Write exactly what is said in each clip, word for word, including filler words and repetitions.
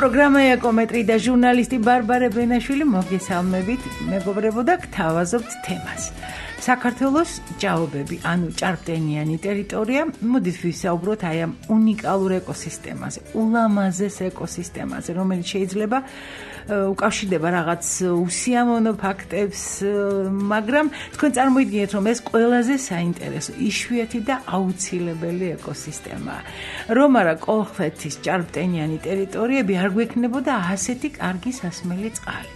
პროგრამა ეკომეტრი და ჟურნალისტი ბარბარე ბენაშვილი მოგესალმებით, მეგობრებო და გთავაზობთ თემას. საქართველოს ჭაობები, ანუ ჭარბტენიანი ტერიტორია, მოდით ვისაუბროთ აი ამ უნიკალურ ეკოსისტემაზე, ულამაზეს ეკოსისტემაზე, რომელიც შეიძლება უკავშირდება რაღაც უსიამოვნო ფაქტებს, მაგრამ თქვენ წარმოიდგინეთ, რომ ეს ყველაზე საინტერესო, იშვიათი და აუცილებელი ეკოსისტემაა. რომ არა კოლხეთის ჭარბტენიანი ტერიტორიები არ გვექნებოდა ასეთი კარგი სასმელი წყალი.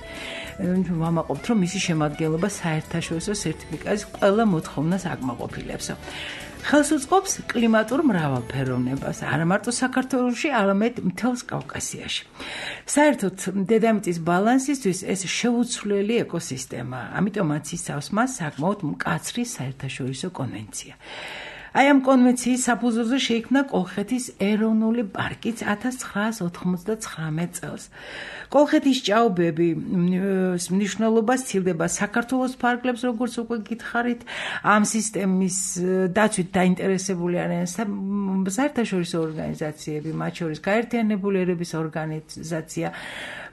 ვამაყობთ, რომ მისი შემადგენლობა საერთაშორისო სერტიფიკატის ყველა მოთხოვნას აკმაყოფილებსო. ხელს უწყობს კლიმატურ მრავალფეროვნებას, არა მარტო საქართველოში, არამედ მთელს კავკასიაში. საერთოდ დედამიწის ბალანსისთვის ეს შეუცვლელი ეკოსისტემაა, ამიტომაც იცავს მას საკმაოდ მკაცრი საერთაშორისო კონვენცია. აი ამ კონვენციის საფუძველზე შეიქმნა კოლხეთის ეროვნული პარკიც ათას ცხრაას ოთხმოცდაცხრამეტ წელს. კოლხეთის ჭაობები მნიშვნელობა სცილდება საქართველოს ფარგლებს, როგორც უკვე გითხარით, ამ სისტემის დაცვით დაინტერესებული არიან საერთაშორისო ორგანიზაციები, მათ შორის გაერთიანებული ერების ორგანიზაცია,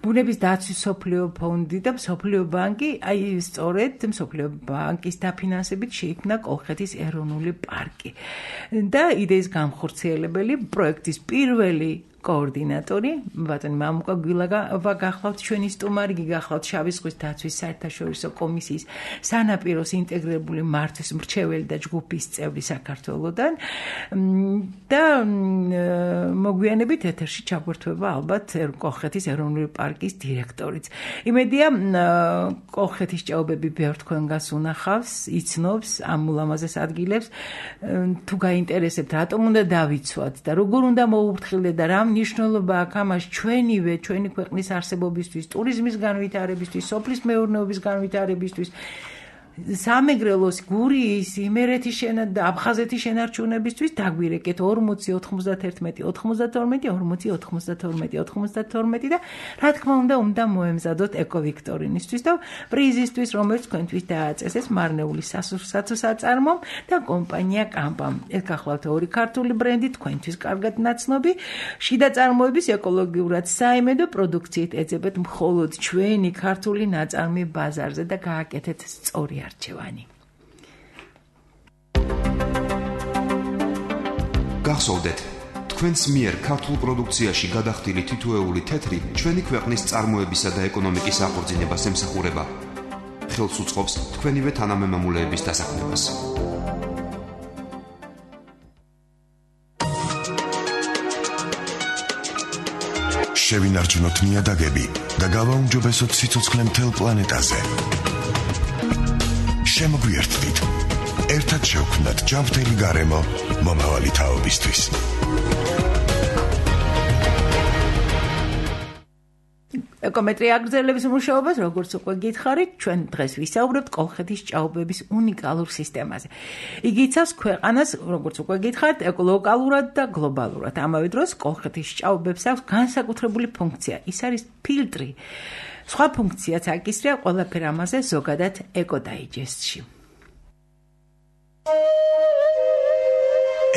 ბუნების დაცვის მსოფლიო ფონდი და მსოფლიო ბანკი, აი სწორედ მსოფლიო ბანკის დაფინანსებით შეიქმნა კოლხეთის ეროვნული პარკი. და იდეის გამხორციელებელი პროექტის პირველი კოორდინატორი, ბატონი მამუკა გვილავა გახლავთ ჩვენი სტუმარი, გახლავთ შავი ზღვის დაცვის საერთაშორისო კომისიის სანაპიროს ინტეგრირებული მართვის მრჩეველი და ჯგუფის წევრი საქართველოდან და მოგვიანებით ეთერში ჩაგვერთვება ალბათ კოლხეთის ეროვნული პარკის დირექტორიც. იმედია კოლხეთის ჭაობები ბევრ თქვენგანს უნახავს, იცნობს ამ ულამაზეს ადგილებს, თუ გაინტერესებთ, რატომ უნდა დავიცვათ და როგორ უნდა მოუფრთხილდეთ და რა ნიშნულობა აქვს ამას ჩვენივე, ჩვენი ქვეყნის არსებობისთვის, ტურიზმის განვითარებისთვის, სოფლის მეურნეობის განვითარებისთვის, სამეგრელოს, გურიის, იმერეთის და აფხაზეთის შენარჩუნებისთვის დაგვირეკეთ ორმოცი ოთხმოცდაერთმეტი ოცდათორმეტი ორმოცი ოცდათორმეტი ოცდათორმეტი და რა თქმა უნდა უნდა მოემზადოთ ეკოვიქტორინისთვის და პრიზისთვის, რომელიც თქვენთვის დააწესეს მარნეული სასურსათო საწარმომ და კომპანია კამპამ. ეს გახლავთ ორი ქართული ბრენდი, თქვენთვის კარგად ნაცნობი, შიდა წარმოების ეკოლოგიურად საიმედო პროდუქციით ეძებეთ მხოლოდ ჩვენი ქართული ნაწარმი ბაზარზე და გააკეთეთ სწორი არჩევანი. გახსოვდეთ, თქვენს მიერ ქართულ პროდუქციაში გადახდილი თითოეული თეთრი ჩვენი ქვეყნის წარმოებისა და ეკონომიკის აღორძინებას ემსახურება. ხელს უწყობს თქვენივე თანამემამულეების დასაქმებას. შევინარჩუნოთ ნიადაგები და გავაუმჯობესოთ სიცოცხლე მთელ პლანეტაზე. შემოგვიერთდით, ერთად შევქმნათ ჯანმრთელი გარემო მომავალი თაობისთვის. ეკომეტრი აგრძელებს მუშაობას, როგორც უკვე გითხარით, ჩვენ დღეს ვისაუბრებთ კოლხეთის ჭაობების უნიკალურ სისტემაზე. იგი იცავს ქვეყანას, როგორც უკვე გითხარით, ლოკალურად და გლობალურად. ამავე დროს კოლხეთის ჭაობებს აქვს განსაკუთრებული ფუნქცია, ის არის ფილტრი. სხვა ფუნქციაც აკისრია ყველაფერ ამაზე ზოგადად ეკოდაიჯესტში.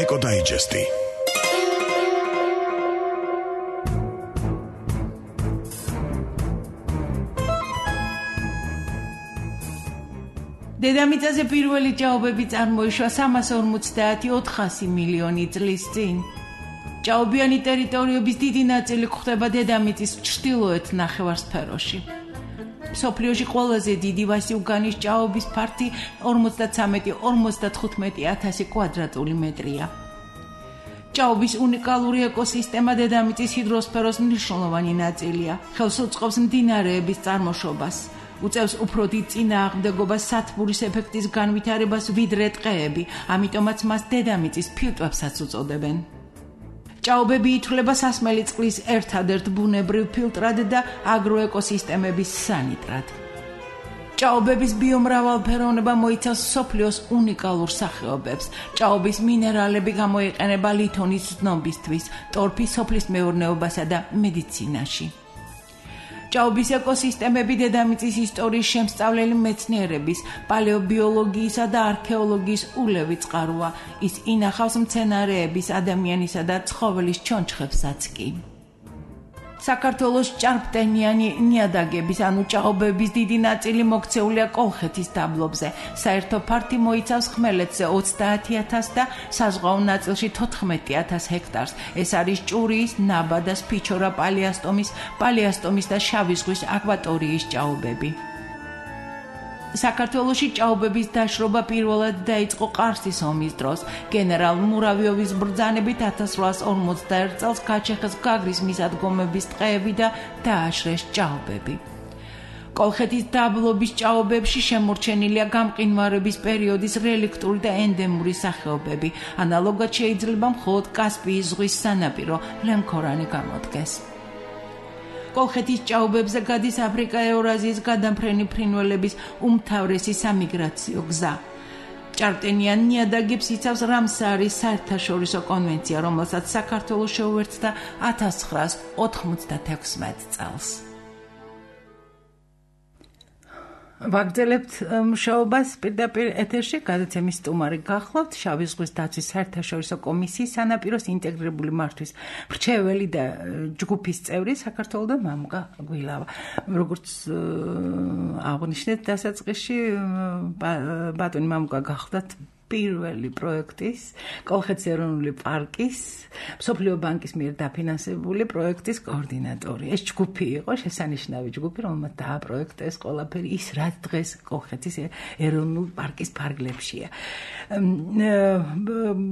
ეკოდაიჯესტი. დედამიწაზე პირველი ჭაობები წარმოიშვა სამას ორმოცდაათი ოთხასი მილიონი წლის წინ. ჭაობიანი ტერიტორიების დიდი ნაწილი გვხვდება დედამიწის ჩრდილოეთ ნახევარსფეროში. მსოფლიოში ყველაზე დიდი ვასიუგანის ჭაობის ფართი ორმოცდაცამეტი ორმოცდათხუთმეტი ათასი კვადრატული მეტრია. ჭაობის უნიკალური ეკოსისტემა დედამიწის ჰიდროსფეროს მნიშვნელოვანი ნაწილია. ხელს უწყობს მდინარეების წარმოშობას. უწევს უფრო დიდ წინააღმდეგობას სათბურის ეფექტის განვითარებას ვიდრე ტყეები, ამიტომაც მას დედამიწის ფილტვებსაც უწოდებენ. ჭაობები ითვლება სასმელი წყლის ერთადერთ ბუნებრივ ფილტრად და აგროეკოსისტემების სანიტრად. ჭაობების ბიომრავალფეროვნება მოიცავს მსოფლიოს უნიკალურ სახეობებს. ჭაობის მინერალები გამოიყენება ლითონის ზნობისთვის, ტორფის სოფლის მეურნეობასა და მედიცინაში. ჭაობის ეკოსისტემები დედამიწის ისტორიის შემსწავლელი მეცნიერების, პალეობიოლოგიისა და არქეოლოგიის ულევი წყაროა. ის ინახავს მცენარეების, ადამიანისა და ცხოველის ჩონჩხებსაც კი. საქართველოს ჭარბტენიანი ნიადაგების, ანუ ჭაობების დიდი ნაწილი მოქცეულია კოლხეთის დაბლობზე. საერთო ფართი მოიცავს ხმელეთზე ოცდაათი ათასს და საზღვაო ნაწილში თოთხმეტი ათას ჰექტარს. ეს არის ჭურიის, ნაბადას, ფიჩორა, პალიასტომის, პალიასტომის და შავი ზღვის აკვატორიის ჭაობები. საქართველოში ჭაობების დაშრობა პირველად დაიწყო ყარსის ომის დროს. გენერალ მურავიოვის ბრძანებით ათას რვაას ორმოცდაერთ წელს გაჩეხეს გაგრის მისადგომების ტყეები და დააშრეს ჭაობები. კოლხეთის დაბლობის ჭაობებში შემორჩენილია გამყინვარების პერიოდის რელიქტური და ენდემური სახეობები. ანალოგად შეიძლება მხოლოდ კასპიის ზღვის სანაპირო ლემქორანი გამოდგეს. კოლხეთის ჭაობებზე გადის აფრიკა-ევრაზიის გადამფრენი ფრინველების უმთავრესი სამიგრაციო გზა. ჭარბტენიან ნიადაგებს იცავს რამსარის საერთაშორისო კონვენცია, რომელსაც საქართველოს შეუერთდა ათას ცხრაას ოთხმოცდათექვსმეტ წელს. ვაგრძელებთ მუშაობას პირდაპირ ეთერში, გადაცემის სტუმარი გახლავთ შავი ზღვის დაცვის საერთაშორისო კომისიის სანაპიროს ინტეგრირებული მართვის მრჩეველი და ჯგუფის წევრი საქართველოდან მამუკა გვილავა. როგორც აღნიშნეთ დასაწყისში, ბატონი მამუკა გახლავთ პირველი პროექტის, კოლხეთის ეროვნული პარკის, მსოფლიო ბანკის მიერ დაფინანსებული პროექტის კოორდინატორი. ეს ჯგუფი იყო შესანიშნავი ჯგუფი, რომელმაც დააპროექტეს ყველაფერი ის, რაც დღეს კოლხეთის ეროვნული პარკის ფარგლებშია.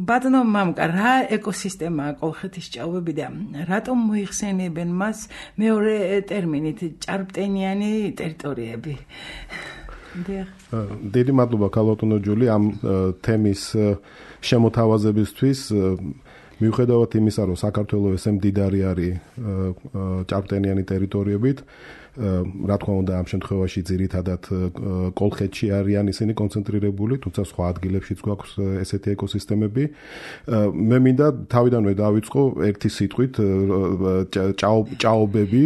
ბატონო მამუკა, რა ეკოსისტემაა კოლხეთის ჭაობები და რატომ მოიხსენიებენ მას მეორე ტერმინით ჭარბტენიანი ტერიტორიები? დიდი მადლობა ქალბატონო ჯული ამ თემის შემოთავაზებისთვის. მიუხედავად იმისა, რომ საქართველოს ესე მდიდარი არის ჭარბტენიანი ტერიტორიებით, რა თქმა უნდა ამ შემთხვევაში ძირითადად კოლხეთში არიან ისინი კონცენტრირებული, თუმცა სხვა ადგილებშიც გვაქვს ესეთი ეკოსისტემები. მე მინდა თავიდანვე დავიწყო ერთი სიტყვით ჭაობები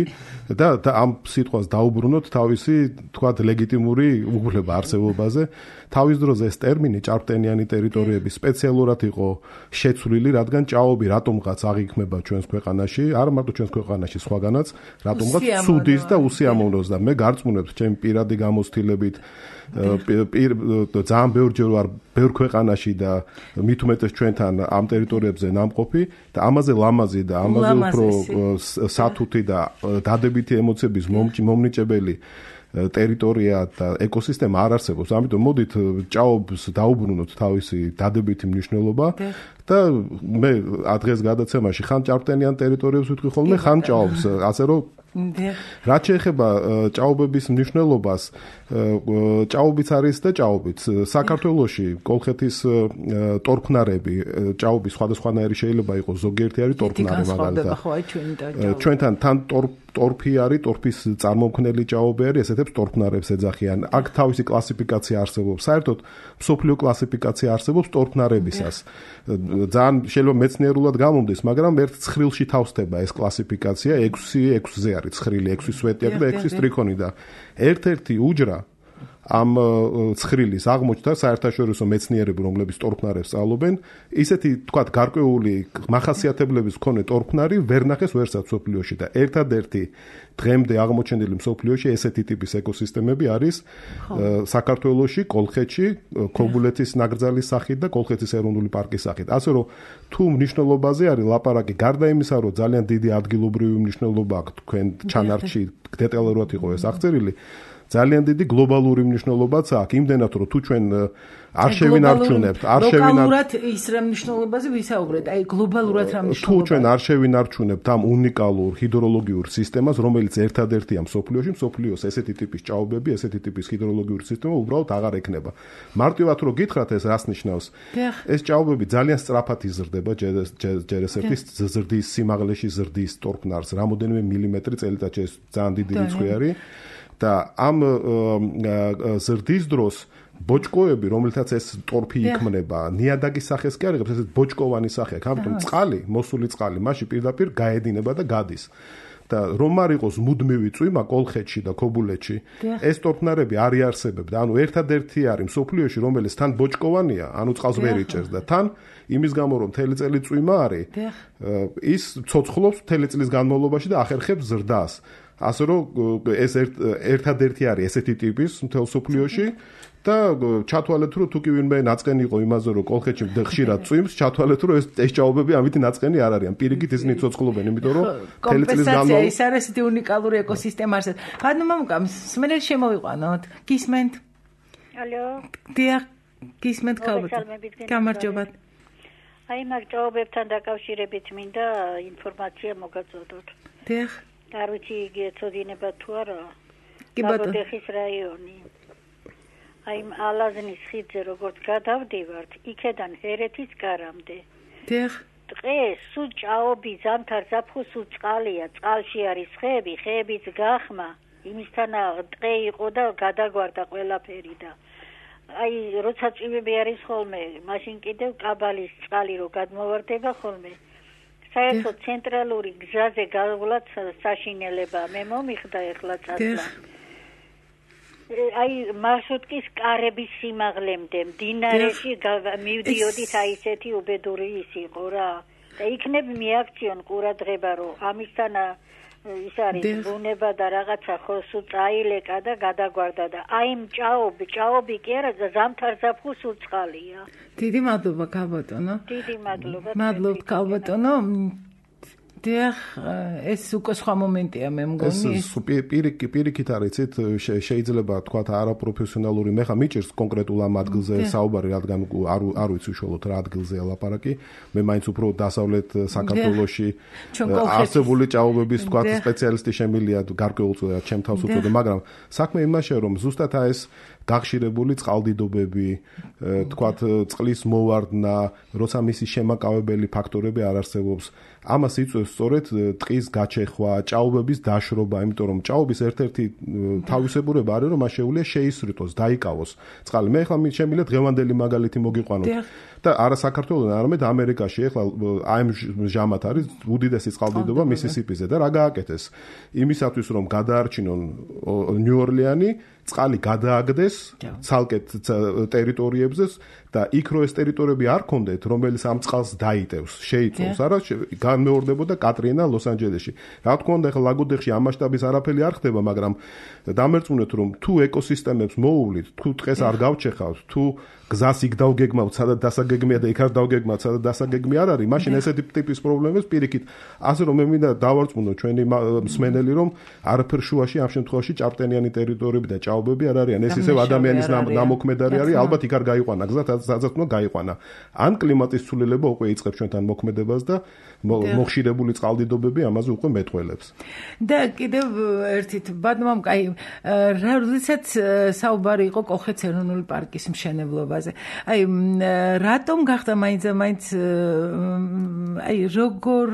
და ამ სიტყვას დაუბრუნოთ თავისი თქვათ ლეგიტიმური უგულება არსებობაზე. თავის დროზე ეს ტერმინი ჭარბტენიანი ტერიტორიები სპეციალურად იყო შეცვლილი, რადგან ჭაობი რატომღაც აღიქმება ჩვენს ქვეყანაში, არა მარტო ჩვენს ქვეყანაში, სხვაგანაც, რატომღაც ცუდის და უსიამოვნოს და მე გარწმუნებთ ჩემი პირადი გამოცდილებით ძალიან ბევრჯერ ვარ ბევრ ქვეყანაში და მით უმეტეს ჩვენთან ამ ტერიტორიებზე ნამყოფი და ამაზე ლამაზი და ამაზე უფრო სათუთი და დადებითი ემოციების მომნიჭებელი ტერიტორია და ეკოსისტემა არ არსებობს. ამიტომ მოდით ჭაობს დაუბრუნოთ თავისი დადებითი მნიშვნელობა და მე დღეს გადაცემაში ხან ჭარბტენიან ტერიტორიებს ვიტყვი ხოლმე, ხან ჭაობს, ასე რომ რაც შეეხება ჭაობების მნიშვნელობას, ჭაობიც არის და ჭაობიც. საქართველოში კოლხეთის ტორფნარები, ჭაობის სხვადასხვანაირი შეიძლება იყოს, ზოგიერთი არის ტორფნარი მაგალითად. ჩვენთან თან ტორფი არის, ტორფის წარმომქმნელი ჭაობი არის, ესეთებს ტორფნარებს ეძახიან. აქ თავისი კლასიფიკაცია არსებობს. საერთოდ მსოფლიო კლასიფიკაცია არსებობს ტორფნარებისას. ძალიან შეიძლება მეცნიერულად გამომდის, მაგრამ ერთ ცხრილში თავსდება ეს კლასიფიკაცია, ექვსი ექვსზე არის ცხრილი, ექვსი სვეტიაკ და ექვსი სტრიქონი და ერთ-ერთი უჯრა ამ ცხრილის აღმოჩნდა საერთაშორისო მეცნიერები, რომლებიც ტორფნარებს სწავლობენ, ისეთი თქვათ გარკვეული მახასიათებლების მქონე ტორფნარი ვერ ნახეს ვერსაც მსოფლიოში და ერთადერთი დღემდე აღმოჩენილი მსოფლიოში ესეთი ტიპის ეკოსისტემები არის საქართველოში, კოლხეთში, ქობულეთის ნაკრძალის სახით და კოლხეთის ეროვნული პარკის სახით. ასე რომ თუ მნიშვნელობაზე არის ლაპარაკი, გარდა იმისა, რომ ძალიან დიდი ადგილობრივი მნიშვნელობა აქვს თქვენ ჩანართში დეტალურად იყო ეს აღწერილი, ძალიან დიდი გლობალური მნიშვნელობაც აქვს, იმდენად რომ თუ ჩვენ არ შევინარჩუნებთ, არ შევინარჩუნებთ ის რა მნიშვნელობაზე ვისაუბრეთ, აი გლობალურად რა მნიშვნელობა. თუ ჩვენ არ შევინარჩუნებთ ამ უნიკალურ ჰიდროლოგიურ სისტემას, რომელიც ერთადერთია მსოფლიოში, მსოფლიოს ესეთი ტიპის ჭაობები, ესეთი ტიპის ჰიდროლოგიური სისტემა უბრალოდ აღარ ექნება. მარტივად რომ გითხრათ ეს რას ნიშნავს? ეს ჭაობები ძალიან სწრაფად იზრდება, ჯერ ეს ერთი ზრდის სიმაღლეში ზრდის ტორფნარს, რამოდენიმე მილიმეტრი წელიწადში, ეს ძალიან დიდი რიცხვი არის. და ამ ზრდის დროს ბოჭკოები, რომელთაც ეს ტორფი იქმნება, ნიადაგის სახეს კი არ იღებს, ესეც ბოჭკოვანი სახე აქვს. ამიტომ წყალი, მოსული წყალი, მასში პირდაპირ გაედინება და გადის. და რომ არ იყოს მუდმივი წვიმა კოლხეთში და ქობულეთში, ეს ტორფნარები არ იარსებებდა. ანუ ერთადერთი არის მსოფლიოში, რომელიც თან ბოჭკოვანია, ანუ წყალს ვერ იჭერს და თან იმის გამო რომ მთელი წელი წვიმა არის, ის ცოცხლობს მთელი წლის განმავლობაში და ახერხებს ზრდას. ასე რომ ეს ერთადერთი არის ესეთი ტიპის მთელ მსოფლიოში და ჩათვალეთ რომ თუ კი ვინმე ნაწყენი იყო იმაზე რომ კოლხეთში ხშირად წვიმს, ჩათვალეთ რომ ეს ეს ჭაობები ამით ნაწყენი არ არიან. პირიქით ისინი ცოცხლობენ, იმიტომ რომ მთელი წლის განმავლობაში ის არის ისეთი უნიკალური ეკოსისტემა არსებობს. ბატონო მამუკა, მსმენელი შემოვიყვანოთ. გისმენთ? ალო. დიახ, გისმენთ ქალბატონო. გამარჯობა. აი მაგ ჭაობებთან დაკავშირებით მინდა ინფორმაცია მოგაწოდოთ. დიახ. არ ვიცი იგი ეწოდინება თუ არა. კი ბატონო. ლაგოდეხის რაიონი. აი ალაზნის ხიდზე როგორც გადავდივართ, იქედან ჰერეთის კარამდე. დიახ. დღეს სულ ჭაობი ზამთარ ზაფხულს სულ წყალია, წყალში არის ხეები, ხეების გახმა, იმისთანა დღე იყო და გადაგვარდა ყველაფერი და აი როცა წვიმები არის ხოლმე, მაშინ კიდევ კაბალის წყალი რო გადმოვარდება ხოლმე. საერთოდ ცენტრალური გზაზე გავლაც საშინელება მე მომიხდა ეხლა წასვლა. აი მარშრუტკის კარების სიმაღლემდე მდინარეში მივდიოდით აი ესეთი უბედური ის იყო რა და იქნებ მიაქციონ ყურადღება რომ ამისთანა ის არის ბუნება და რაღაცა ხო სულ წაილეკა და გადაგვარდა და აი მჭაობი ჭაობი კი არა ზამთარ ზაფხულს სულ წყალია. დიდი მადლობა ქალბატონო. დიდი მადლობა. მადლობთ ქალბატონო. დიახ, ეს უკვე სხვა მომენტია მე მგონი. ეს პირიქით პირიქით არის იცით შეიძლება თქვა არაპროფესიონალური მე ხა მიჭირს კონკრეტულ ამ ადგილზე საუბარი, რადგან არ არ ვიცი უშუალოდ რა ადგილზეა ლაპარაკი. მე მაინც უფრო დასავლეთ საქართველოში არსებული ჭაობების თქვა სპეციალისტი შემილია გარკვეულწილად ჩემ თავს უწოდე, მაგრამ საქმე იმაშია რომ ზუსტად ეს გახშირებული წყალდიდობები, თქვათ წყლის მოვარდნა, როცა მისი შემაკავებელი ფაქტორები არ არსებობს. ამას იწვევს სწორედ ტყის გაჩეხვა, ჭაობების დაშრობა, იმიტომ რომ ჭაობის ერთ-ერთი თავისებურება არის რომ მას შეუძლია შეისრიტოს, დაიკავოს წყალი. მე ახლა შემიძლია დღევანდელი მაგალითი მოგიყვანოთ. და არა საქართველოს, არამედ ამერიკაში ახლა აი ამ ჟამად არის უდიდესი წყალდიდობა მისისიპიზე და რა გააკეთეს? იმისათვის რომ გადაარჩინონ ნიუ-ორლიანი წყალი გადააგდეს ცალკე ტერიტორიებზე და იქ რო ეს ტერიტორიები არ კონდეთ, რომელიც ამ წყალს დაიტევს, შეიწოვს, არა განმეორდებოდა კატრინა ლოს-ანჯელესში. რა თქმა უნდა, ახლა ლაგოდეხში ამ მასშტაბის არაფერი არ ხდება, მაგრამ დამერწმუნეთ რომ თუ ეკოსისტემებს მოუვლით, თუ ტყეს არ გავჩეხავთ, თუ გზას იქ დავგეგმავთ, სადაც დასაგეგმია და იქ არ დავგეგმავთ, სადაც დასაგეგმი არ არის, მაშინ ესეთი ტიპის პრობლემებს პირიქით. ასე რომ მე მინდა დავარწმუნო ჩვენი მსმენელი, რომ არაფერ შუაში ამ შემთხვევაში ჭარბტენიანი ტერიტორიები და ჭაობები არ არიან. ეს ისევ ადამიანის ნამოქმედარი არის, ალბათ იქ არ გაიყვანა გზა, სადაც უნდა გაიყვანა. ან კლიმატის ცვლილება უკვე იწყებს ჩვენთან მოქმედებას და მოხშირებული წყალდიდობები ამაზე უკვე მეტყველებს. და კიდევ ერთით, ბატონო, აი, როდესაც საუბარი იყო კოლხეთის ეროვნული პარკის მშენებლობაზე. აი, რატომ გახდა მაინც მაინც აი, როგორ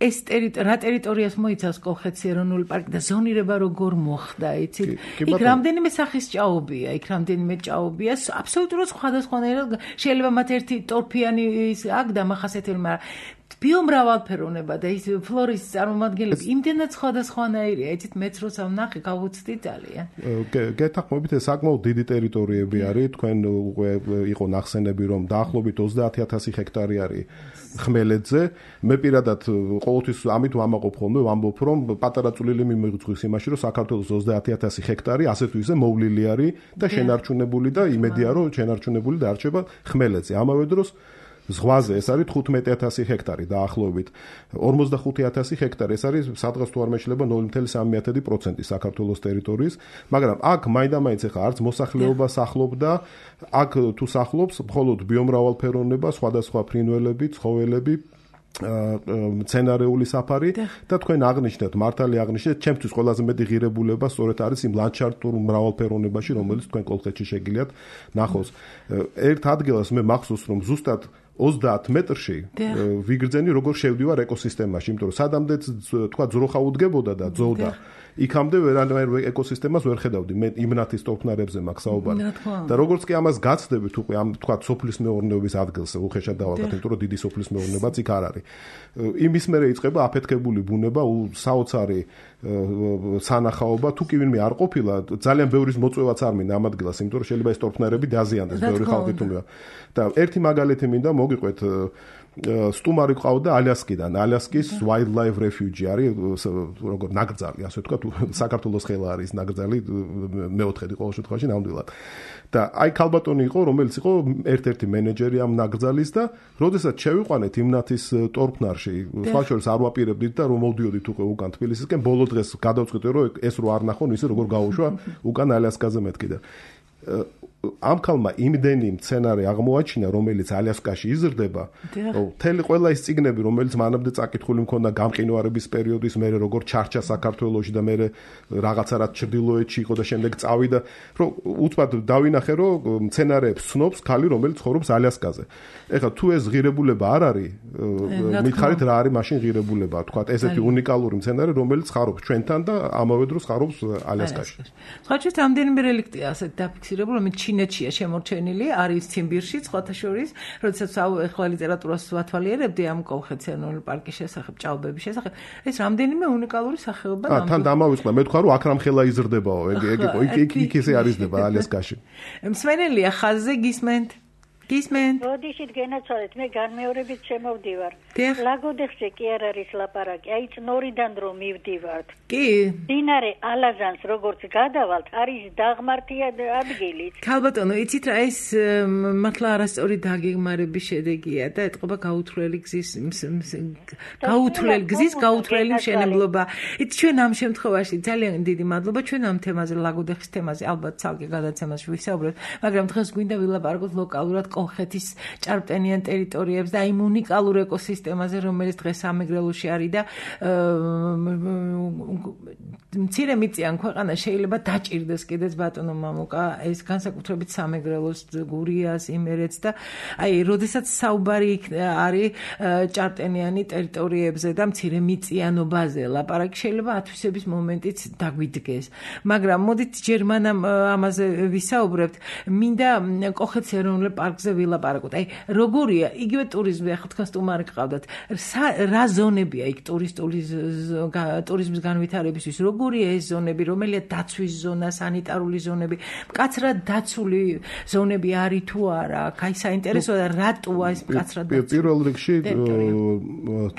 ეს რა ტერიტორიას მოიცავს კოლხეთის ეროვნული პარკი და ზონირება როგორ მოხდა, იცით? იქ რამდენიმე სახის ჭაობია, იქ რამდენიმე ჭაობია, აბსოლუტურად სხვადასხვანაირად შეიძლება მათ ერთი ტორფიანი ის აქ დამახასიათებელი, მაგრამ ბიომრავალფეროვნება და ის ფლორის წარმომადგენლები იმდენად სხვადასხვანაირია, იცით, მეც როცა ვნახე, გავუცდი ძალიან. გეთანხმებით, ეს საკმაოდ დიდი ტერიტორიები არის, თქვენ უკვე იყო ნახსენები, რომ დაახლოებით ოცდაათი ათასი ჰექტარი არის ხმელეთზე. მე პირადად ყოველთვის ამით ვამაყობ ხოლმე, ვამბობ, რომ პატარა წვლილი მიმიღწვის იმაში, რომ საქართველოს ოცდაათი ათასი ჰექტარი ასე თუ ისე მოვლილი არის და შენარჩუნებული და იმედია, რომ შენარჩუნებული დარჩება ხმელეთზე. ამავე დროს ზღვაზე ეს არის თხუთმეტი ათასი ჰექტარი დაახლოებით. ორმოცდახუთი ათასი ჰექტარი ეს არის სადღაც თუ არ მეშლება ნული კoma სამი პროცენტი საქართველოს ტერიტორიის, მაგრამ აქ მაინდა-მაინც ახლა არც მოსახლეობა სახლობდა, აქ თუ სახლობს მხოლოდ ბიომრავალფეროვნება, სხვადასხვა ფრინველები, ცხოველები, მცენარეული საფარი და თქვენ აღნიშნეთ, მართალი აღნიშნეთ, ჩემთვის ყველაზე მეტი ღირებულება სწორედ არის იმ ლანდშაფტურ მრავალფეროვნებაში, რომელიც თქვენ კოლხეთში შეგიძლიათ ნახოს. ერთ ადგილას მე მახსოვს, რომ ზუსტად ოცდაათ მეტრში ვიგრძენი როგორ შევდივარ ეკოსისტემაში, იმიტომ რომ სადამდე თქვა ძროხა უდგებოდა და ძოვდა. იქამდე ვერანაირ ეკოსისტემას ვერ ხედავდი. მე იმნათის ტორფნარებზე მაქვს საუბარი. და როგორც კი ამას გაცდებით უკვე ამ თქვა სოფლის მეურნეობის ადგილს უხეშად დავაგდოთ, იმიტომ რომ დიდი სოფლის მეურნეობაც იქ არ არის. იმის მერე იწყება აფეთქებული ბუნება, საოცარი სანახაობა, თუ კი ვინმე არ ყოფილა, ძალიან ბევრის მოწვევაც არ მინდა ამ ადგილას, იმიტომ რომ შეიძლება ეს ტორფნარები დაზიანდეს, ბევრი ხალხი თუმცა. და ერთი მაგალითი მინდა მოგიყვეთ სტუმარი ყავდა ალიასკიდან. ალიასკის wildlife refuge არის როგორ ნაკრძალი, ასე ვთქვათ, საქართველოს ხელა არის ნაკრძალი მეოთხედი ყოველ შემთხვევაში ნამდვილად. და აი ქალბატონი იყო, რომელიც იყო ერთ-ერთი მენეჯერი ამ ნაკრძალის და როდესაც შევიყვანეთ იმნათის ტორფნარში, სხვა შორის არ ვაპირებდით და რომ მოვდიოდით უკვე უკან თბილისისკენ, ბოლო დღეს გადავწყვიტე რომ ეს რო არ ნახონ, ისე როგორ გავუშვა უკან ალიასკაზე მეთქი და ამ ქალმა იმდენი მცენარე აღმოაჩინა, რომელიც ალიასკაში იზრდება, რომ თელი ყველა ის ციგნები, რომელიც მანამდე წაკითხული მქონდა გამყინვარების პერიოდის, მერე როგორ ჩარჩა საქართველოში და მერე რაღაცა რაც ჩრდილოეთში იყო და შემდეგ წავიდა, რომ უცბად დავინახე, რომ მცენარეებს ცნობს ქალი, რომელიც ცხოვრობს ალიასკაზე. ეხლა თუ ეს ღირებულება არ არის, მითხარით რა არის მაშინ ღირებულება, თქვა ესეთი უნიკალური მცენარე, რომელიც ხარობს ჩვენთან და ამავე დროს ხარობს ალიასკაში. სხვა შორის რამდენიმე რელიქტია ასეთ დაფიქსირებული, რომელიც ჩინეთშია შემორჩენილი, არის ციმბირში, სხვათა შორის, როდესაც ახლა ლიტერატურას ვათვალიერებდი ამ კოლხეთის ეროვნული პარკის შესახებ, ჭაობების შესახებ, ეს რამდენიმე უნიკალური სახეობა ნამდვილად. ა თან დამავიწყდა, მე თქვა რომ აქ რამ ხელა იზრდებაო, ეგ ეგ იყო, იქ იქ ისე არიზდება ალიასკაში. მსმენელია ხაზზე გისმენთ? გისმენთ? როდიშით გენაცვალეთ, მე განმეორებით შემოვდივარ. ლაგოდეხზე კი არ არის ლაპარაკი, აი წნორიდან რომ მივდივართ. კი. დინარე ალაზანს როგორც გადავალთ, არის დაღმართია ადგილი. ქალბატონო, იცით რა ეს მართლა არასწორი დაგეგმარების შედეგია და ეთყობა გაუთვლელი გზის გაუთვლელი გზის გაუთვლელი მშენებლობა. იცით ჩვენ ამ შემთხვევაში ძალიან დიდი მადლობა ჩვენ ამ თემაზე, ლაგოდეხის თემაზე ალბათ ცალკე გადაცემაში ვისაუბრებთ, მაგრამ დღეს გვინდა ვილაპარაკოთ ლოკალურად კოლხეთის ჭარბტენიან ტერიტორიებს და იმ უნიკალურ ეკოსისტემაზე, რომელიც დღეს სამეგრელოში არის და მცირე მიწიან ქვეყანა შეიძლება დაჭირდეს კიდეც ბატონო მამუკა ეს განსაკუთრებით სამეგრელოს, გურიას, იმერეთს და აი, როდესაც საუბარი არის ჭარბტენიანი ტერიტორიებზე და მცირე მიწიანობაზე, ლაპარაკი შეიძლება ათვისების მომენტიც დაგვიდგეს. მაგრამ მოდით ჯერ მანამ ამაზე ვისაუბრებთ, მინდა კოლხეთის ეროვნული პარკზე ვილაპარაკოთ. აი, როგორია იგივე ტურიზმი, ახლა თქვენ სტუმარი გყავდათ, რა ზონებია იქ ტურისტული ტურიზმის განვითარებისთვის, როგორია ეს ზონები, რომელია დაცვის ზონა, სანიტარული ზონები, მკაცრად დაცული ზონები არის თუ არა? აი, საინტერესოა და რატოა ეს მკაცრად დაცული? პირველ რიგში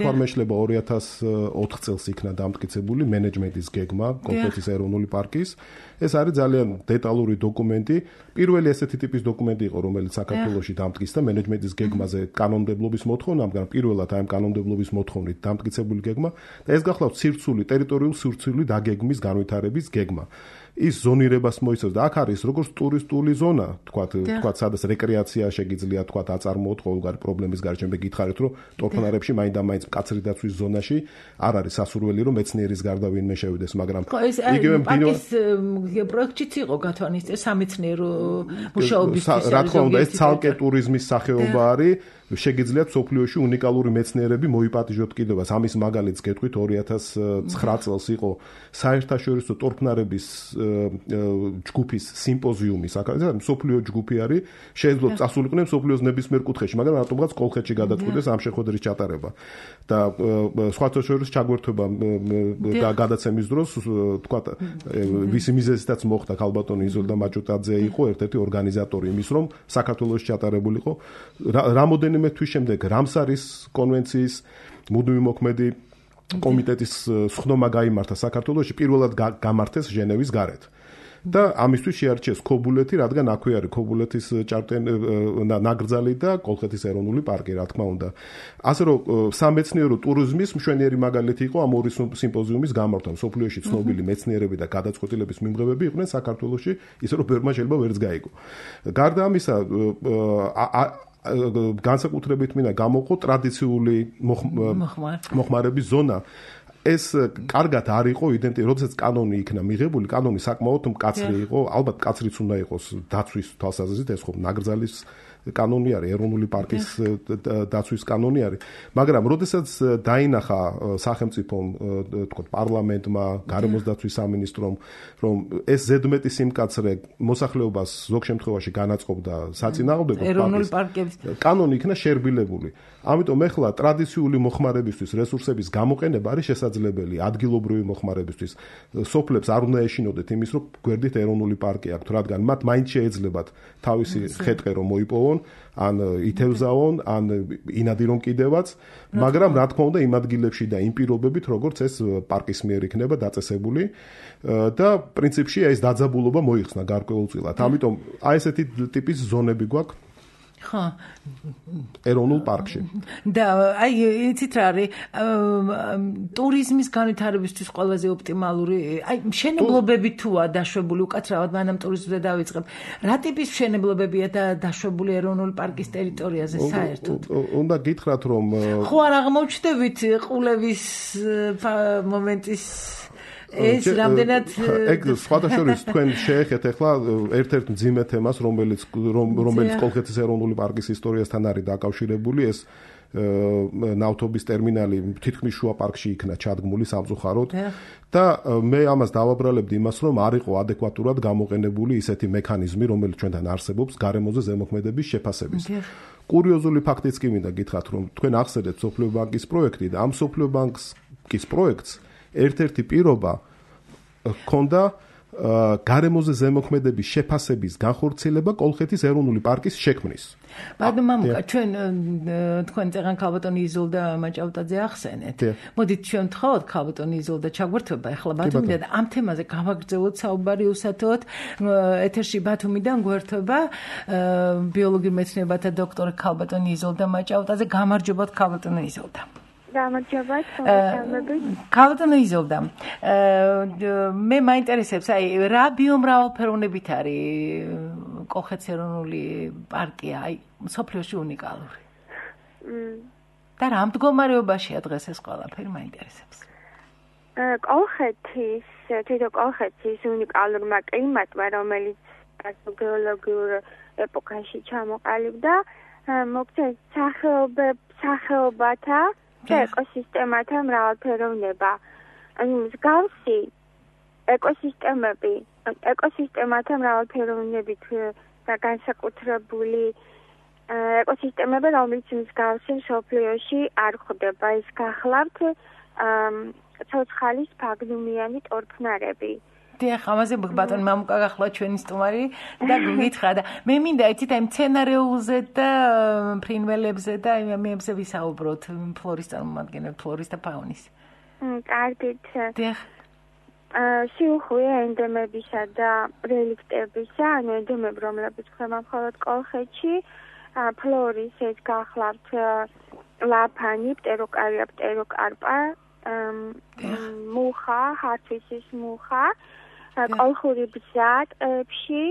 თორმეშლება ორი ათას ოთხ წელს იქნა დამტკიცებული მენეჯმენტის გეგმა კოლხეთის ეროვნული პარკის. ეს არის ძალიან დეტალური დოკუმენტი. პირველი ესეთი ტიპის დოკუმენტი იყო, რომელიც საქართველოში დამტკიცდა მენეჯმენტის გეგმაზე კანონმდებლობის მოთხოვნა, მაგრამ პირველად აი ამ კანონმდებლობის მოთხოვნით დამტკიცებული გეგმა და ეს გახლავთ სირცული, ტერიტორიული სირცული დაგეგმის განვითარების გეგმა. ის ზონირებას მოიცავს და აქ არის როგორც ტურისტული ზონა, თქვათ, თქვათ, სადაც რეკრეაცია შეგიძლია, თქვათ, აწარმოოთ ყოველგვარი პრობლემის გარშემო. მე გითხარით, რომ ტორფნარებში მაინდა-მაინც მკაცრი დაცვის ზონაში არ არის სასურველი, რომ მეცნიერის გარდა ვინმე შევიდეს, მაგრამ იგივე პარკის პროექტიც იყო გათვალისწინებული სამეცნიერო მუშაობისთვის. რა თქმა უნდა, ეს ცალკე ტურიზმის სახეობა არის. შეგიძლიათ სოფლიოში უნიკალური მეცნიერები მოიპატიჟოთ კიდევაც. ამის მაგალითს გეტყვით, ორი ათას ცხრა წელს იყო საერთაშორისო ტორფნარების ჯგუფის სიმპოზიუმი, სოფლიო ჯგუფი არის, შეიძლება წასულიყვნენ სოფლიოს ნებისმიერ კუთხეში, მაგრამ რატომღაც კოლხეთში გადაწყვიტეს ამ შეხვედრის ჩატარება. და სხვათა შორის ჩაგვერთვება გადაცემის დროს, თქვა, ვისი მიზეზითაც მოხდა, ქალბატონი იზოლდა მაჭუტაძე იყო ერთ-ერთი ორგანიზატორი იმის, რომ საქართველოში ჩატარებულიყო რამოდენიმე თვის შემდეგ რამსარის კონვენციის მუდმივი მოქმედი კომიტეტის სხდომა გაიმართა საქართველოში, პირველად გამართეს ჟენევის გარეთ. და ამისთვის შეარჩიეს ქობულეთი, რადგან აქვე არის ქობულეთის ნაკრძალი და კოლხეთის ეროვნული პარკი, რა თქმა უნდა. ასე რომ სამეცნიერო ტურიზმის მშვენიერი მაგალითი იყო ამ ორი სიმპოზიუმის გამართვა. სოფლიოში ცნობილი მეცნიერები და გადაწყვეტილების მიმღებები იყვნენ საქართველოში, ისე რომ ბევრმა შეიძლება ვერც გაიგო. გარდა ამისა, განსაკუთრებით მინდა გამოვყო ტრადიციული მოხმარების ზონა. ეს კარგად არ იყო იდენტი, როდესაც კანონი იქნა მიღებული, კანონი საკმაოდ მკაცრი იყო, ალბათ მკაცრიც უნდა იყოს დაცვის თვალსაზრისით, ეს ხო ნაკრძალის კანონი არის, ეროვნული პარკის დაცვის კანონი არის. მაგრამ როდესაც დაინახა სახელმწიფომ, თქო, პარლამენტმა, გარემოს დაცვის სამინისტრომ, რომ ეს ზედმეტი სიმკაცრე მოსახლეობას ზოგ შემთხვევაში განაწყობდა საწინააღმდეგო ეროვნული პარკების კანონი იქნა შერბილებული. ამიტომ ეხლა ტრადიციული მოხმარებისთვის რესურსების გამოყენება არის შესაძლებელი ადგილობრივი მოხმარებისთვის. სოფლებს არ უნდა ეშინოდეთ იმის, რომ გვერდით ეროვნული პარკი აქვთ, რადგან მათ მაინც შეეძლებათ თავისი ხეტყე რომ მოიპოვონ, ან ითევზაონ, ან ინადი რომ კიდევაც, მაგრამ რა თქმა უნდა იმ ადგილებში და იმ პირობებით, როგორც ეს პარკის მიერ იქნება დაწესებული და პრინციპში ეს დაძაბულობა მოიხსნა გარკვეულწილად. ამიტომ აი ესეთი ტიპის ზონები გვაქვს ხო ეროვნულ პარკში. და აი იცით რა არის ტურიზმის განვითარებისთვის ყველაზე ოპტიმალური აი მშენებლობები თუა დაშვებული უკაცრავად მანამ ტურიზმზე დავიწყებ. რა ტიპის მშენებლობებია და დაშვებული ეროვნული პარკის ტერიტორიაზე საერთოდ? უნდა გითხრათ რომ ხო არ აღმოჩნდებით ყულევის მომენტის ეს რამდენად ეგ სხვადასხვა თქვენ შეეხეთ ახლა ერთ-ერთ მძიმე თემას, რომელიც რომელიც კოლხეთის ეროვნული პარკის ისტორიასთან არის დაკავშირებული, ეს ნავთობის ტერმინალი თითქმის შუა პარკში იქნა ჩადგმული სამწუხაროდ და მე ამას დავაბრალებდი იმას, რომ არ იყო ადეკვატურად გამოყენებული ისეთი მექანიზმი, რომელიც ჩვენთან არსებობს გარემოზე ზემოქმედების შეფასების. კურიოზული ფაქტიც კი მინდა გითხრათ, რომ თქვენ ახსენეთ სოფლიო ბანკის პროექტი და ამ სოფლიო ბანკის პროექტს ერთ-ერთი პირობა ქონდა გარემოზე ზემოქმედების შეფასების განხორციელება კოლხეთის ეროვნული პარკის შექმნის. ბატონო მამუკა, ჩვენ თქვენ წეგან ქალბატონი იზოლდა მაჭავტაძე ახსენეთ. მოდით ჩვენ ვთხოვოთ ქალბატონი იზოლდა ჩაგვერთვება ახლა ბათუმიდან და ამ თემაზე გავაგრძელოთ საუბარი უსათოდ. ეთერში ბათუმიდან გვერთვება ბიოლოგიურ მეცნიერებათა დოქტორი ქალბატონი იზოლდა მაჭავტაძე. გამარჯობათ ქალბატონი იზოლდა. გამარჯობათ, მოგესალმებით. ქალბატონო იზოლდა, მე მაინტერესებს, აი, რა ბიომრავალფეროვნებით არის კოლხეთის ეროვნული პარკი, აი, მსოფლიოში უნიკალური. და რა მდგომარეობაშია დღეს ეს ყველაფერი მაინტერესებს. კოლხეთის, თვითონ კოლხეთის უნიკალურმა კლიმატმა, რომელიც გეოლოგიურ ეპოქაში ჩამოყალიბდა, მოგვცეს სახეობათა და ეკოსისტემათა მრავალფეროვნება. ანუ მსგავსი ეკოსისტემები, ეკოსისტემათა მრავალფეროვნებით და განსაკუთრებული ეკოსისტემები, რომელიც მსგავსი მსოფლიოში არ ხვდება. ის გახლავთ ცოცხალის ფაგნუმიანი ტორფნარები. დიახ, ამაზე ბატონი მამუკა გახლავთ ჩვენი სტუმარი და გითხრა და მე მინდა იცით აი მცენარეულზე და ფრინველებზე და იმებზე ვისაუბროთ, ფლორის წარმომადგენლებს, ფლორის და ფაუნის. კარგით. დიახ. სიუხვია ენდემებისა და რელიქტებისა, ანუ ენდემები, რომლებიც ხდება მხოლოდ კოლხეთში, ფლორის ეს გახლავთ ლაფანი, პტეროკარია, პტეროკარპა, მუხა, ჰარცვისის მუხა, კოლხური ბზა ტყეებში,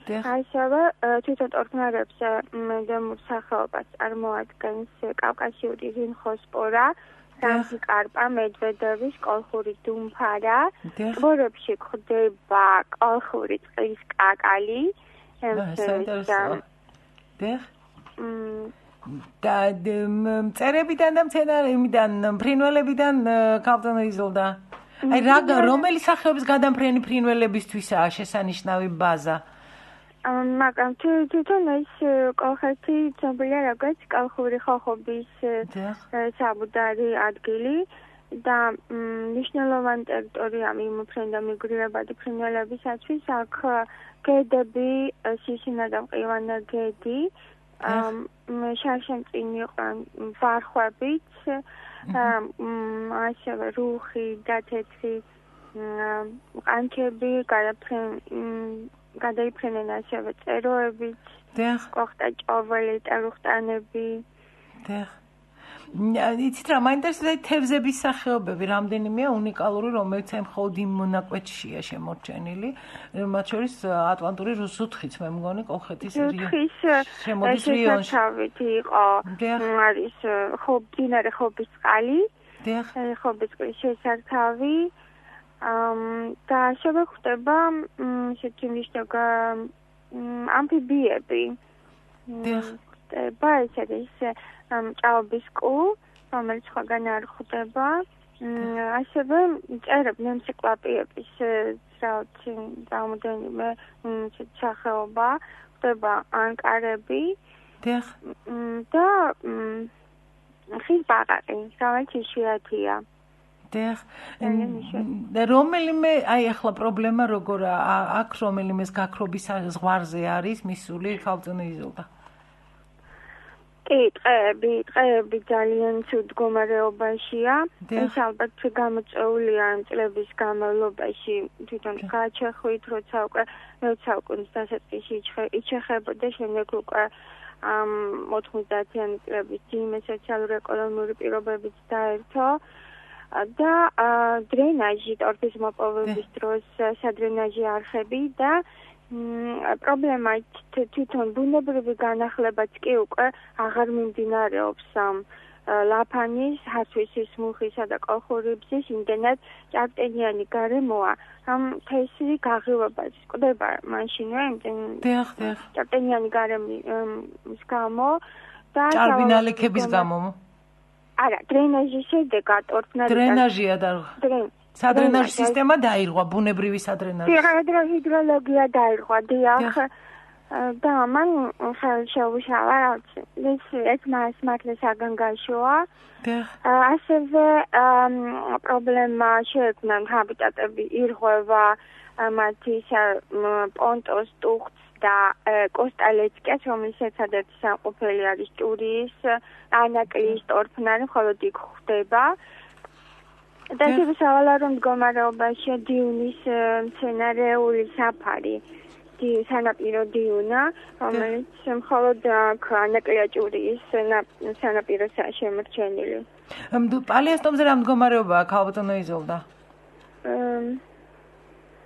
ასევე თვითონ ტორფნარებს ენდემურ სახეობას წარმოადგენს კავკასიური რინხოსპორა, სამზიკარპა, მედვედევის კოლხური დუმფარა, ტბორებში გვხვდება კოლხური წყლის კაკალი, და მწერებიდან და მცენარეებიდან, ფრინველებიდან ქალბატონო იზოლდა. აი რა რომელი სახეობის გადამფრენი ფრინველებისთვისაა შესანიშნავი ბაზა? მაგრამ თვითონ ეს კოლხეთი ცნობილია როგორც კოლხური ხოხობის საბუდარი ადგილი და მნიშვნელოვანი ტერიტორია მიმოფრენდა მიგრირებადი ფრინველებისათვის. აქ გედები, სისინა და მყივანა გედი, შარშემწინი ვარხვებით, ასევე რუხი და თეთრი ყანჩები, გადაიფრენენ ასევე წეროებით, კოხტა ჭოველი, ტერუხტანები. იცით რა, მაინტერესებს თევზების სახეობები, რამდენიმეა უნიკალური, რომელიც აი მხოლოდ იმ მონაკვეთშია შემორჩენილი, მათ შორის ატლანტური ზუთხიც, მე მგონი კოლხეთის ზუთხის შესათავით იყო, არის მდინარე ხობის წყალი, ხობის წყლის შესართავი და ასევე ხდება ესეთი მნიშვნელოვანი ამფიბიები. ხდება, ეს არის ჭაობის კუ, რომელიც სხვაგან არ ხვდება. ასევე წერებ ნემსიკლაპიების რაოცი რამოდენიმე სახეობა, ხდება ანკარები და ხის ბაყაყი, რომელიც იშვიათია. დიახ. და რომელიმე აი ახლა პრობლემა როგორა აქ რომელიმეს გაქრობის ზღვარზე არის მისული ქალწინო იზოლდა. კი, ტყეები, ტყეები ძალიან ცუდ მდგომარეობაშია. ეს ალბათ გამოწვეულია იმ წლების განმავლობაში თვითონ გააჩეხვით, როცა უკვე როცა უკვე დასაწყისში იჩეხებოდა, შემდეგ უკვე ამ ოთხმოცდაათიანი წლების ძიმე სოციალურ-ეკონომიური პირობებიც დაერთო. და დრენაჟი ტორფის მოპოვების დროს სადრენაჟი არხები და პრობლემა თვითონ ბუნებრივი განახლებაც კი უკვე აღარ მიმდინარეობს ლაფანის, ჰარცვისის, მუხისა და კოლხურიბზის, იმდენად ჭარბტენიანი გარემოა, რომ თესლი გაღრევებას ყდება მაშინვე იმდენ ჭარბტენიანი გარემოს გამო და ჭარბი ნალექების გამო არა, დრენაჟის შედეგად ორფნარი დრენაჟია და სადრენაჟ სისტემა დაირღვა, ბუნებრივი სადრენაჟი. ჰიდროლოგია დაირღვა, დიახ. და მან ხელ შეუშალა, ეს ეს მას მართლა საგანგაშოა. ასევე პრობლემა შეექმნა ჰაბიტატები ირღვევა, მათი პონტოს, ტუხტს და კოსტალეცკეს, რომელსაც სადაც სამყოფელი არის ჭურის, ანაკლის, ტორფნარი, მხოლოდ იქ ხდება. და ეს სავალარო მდგომარეობაშია დიუნის მცენარეული საფარი, სანაპირო დიუნა, რომელიც მხოლოდ ანაკლია ჭურის სანაპიროსაა შემორჩენილი. პალიასტომზე რა მდგომარეობაა ქალბატონო იზოლდა?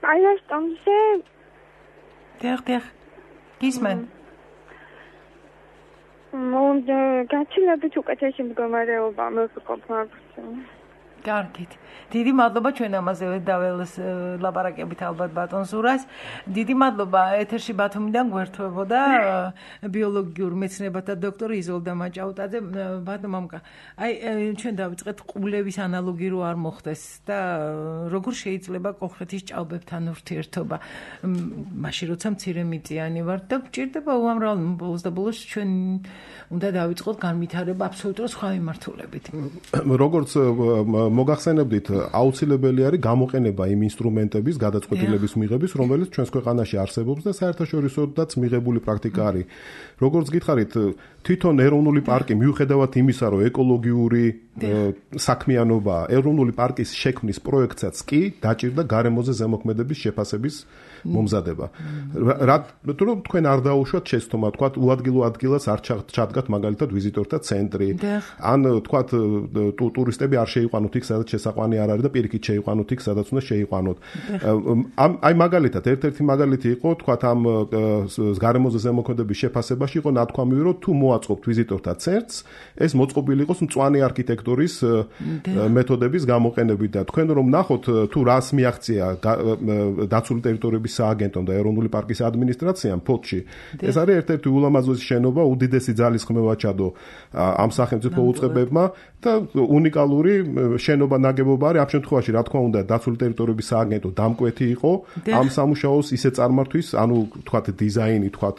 პალიასტომზე დიახ, დიახ. გისმენ? მომდ გაცილებით უკეთესი მდგომარეობა მოგყოფ მაქვს. კარგით. დიდი მადლობა ჩვენ ამაზე დაველს ლაპარაკებით ალბათ ბატონ ზურას. დიდი მადლობა ეთერში ბათუმიდან გვერდთვებოდა ბიოლოგიურ მეცნიერებათა დოქტორი იზოლდა მაჭაუტაძე. ბატონ მამკა, აი ჩვენ დავიწყეთ ყულევის ანალოგი რო არ მოხდეს და როგორ შეიძლება კოლხეთის ჭაობებთან ურთიერთობა. მაშინ როცა მცირე მიწიანი ვარ და გჭირდება უამრავ ბოლოს და ბოლოს ჩვენ უნდა დავიწყოთ განვითარება აბსოლუტურად სხვა მიმართულებით. როგორც მოგახსენებდით, აუცილებელი არის გამოყენება იმ ინსტრუმენტების, გადაწყვეტილების მიღების, რომელიც ჩვენს ქვეყანაში არსებობს და საერთაშორისოდაც მიღებული პრაქტიკა არის. როგორც გითხარით, თვითონ ეროვნული პარკი მიუხედავად იმისა, რომ ეკოლოგიური საქმიანობა, ეროვნული პარკის შექმნის პროექტსაც კი დაჭირდა გარემოზე ზემოქმედების შეფასების მომზადება. თუ რომ თქვენ არ დაუშვათ შეცდომა, თქვათ უადგილო ადგილას არ ჩადგათ მაგალითად ვიზიტორთა ცენტრი, ან თქვათ ტურისტები არ შეიყვანოთ იქ, სადაც შესაყვანი არ არის და პირიქით შეიყვანოთ იქ, სადაც უნდა შეიყვანოთ. აი მაგალითად, ერთ-ერთი მაგალითი იყო, თქვათ ამ გარემოზე ზემოქმედების შეფასებაში იყო ნათქვამი, რომ თუ მოაწყობთ ვიზიტორთა ცენტრს, ეს მოწყობილი იყოს მწვანე არქიტექტურის მეთოდების გამოყენებით და თქვენ რომ ნახოთ თუ რას მიაღწია დაცული ტერიტორიების სააგენტომ და ეროვნული პარკის ადმინისტრაციამ ფოთში. ეს არის ერთ-ერთი ულამაზესი შენობა, უდიდესი ძალისხმევა ჩადო ამ სახელმწიფო უწყებებმა და უნიკალური შენობა ნაგებობა არის. ამ შემთხვევაში რა თქმა უნდა დაცული ტერიტორიების სააგენტო დამკვეთი იყო ამ სამუშაოს ისე წარმართვის, ანუ თქვათ დიზაინი, თქვათ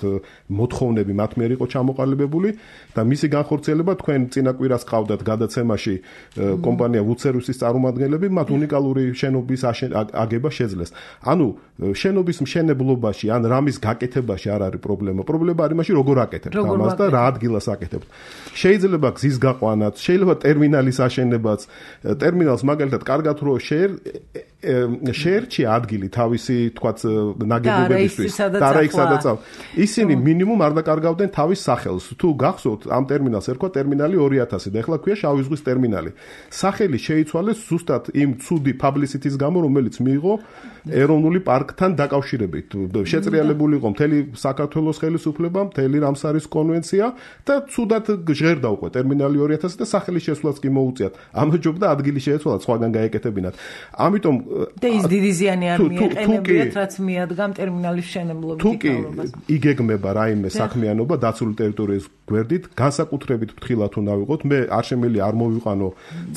მოთხოვნები მათ მიერ იყო ჩამოყალიბებული და მისი განხორციელება თქვენ წინა კვირას ყავდათ გადაცემაში კომპანია ვუცერვისის წარმომადგენლები, მათ უნიკალური შენობის აგება შეძლეს. ანუ შენობის მშენებლობაში ან რამის გაკეთებაში არ არის პრობლემა. პრობლემა არის მაშინ როგორ აკეთებთ ამას და რა ადგილას აკეთებთ. შეიძლება გზის გაყვანაც, შეიძლება ტერმინალის აშენებაც. ტერმინალს მაგალითად კარგად რო შეერ შეერჩი ადგილი თავისი თქვათ ნაგებობებისთვის და რა იქ სადაც ისინი მინიმუმ არ დაკარგავდნენ თავის სახელს. თუ გახსოვთ ამ ტერმინალს ერქვა ტერმინალი ორი ათასი და ეხლა ქვია შავი ზღვის ტერმინალი. სახელი შეიცვალეს ზუსტად იმ ცუდი პაბლისიტის გამო, რომელიც მიიღო ეროვნული პარკთან დაკავშირებით. შეწრიალებული იყო მთელი საქართველოს ხელისუფლება, მთელი რამსარის კონვენცია და ცუდად ჟღერდა უკვე ტერმინალი ორი ათასი და სახელი შესვლაც კი მოუწიათ. ამჯობდა ადგილი შეეცვალათ სხვაგან გაეკეთებინათ. ამიტომ და ის დიდი ზიანი არ მიეყენებიათ, რაც მიადგა ტერმინალის მშენებლობის თიკაურობას. თუ კი იგეგმება რაიმე საქმიანობა დაცული ტერიტორიის გვერდით, განსაკუთრებით ფრთხილად უნდა ვიყოთ. მე არ შემიძლია არ მოვიყვანო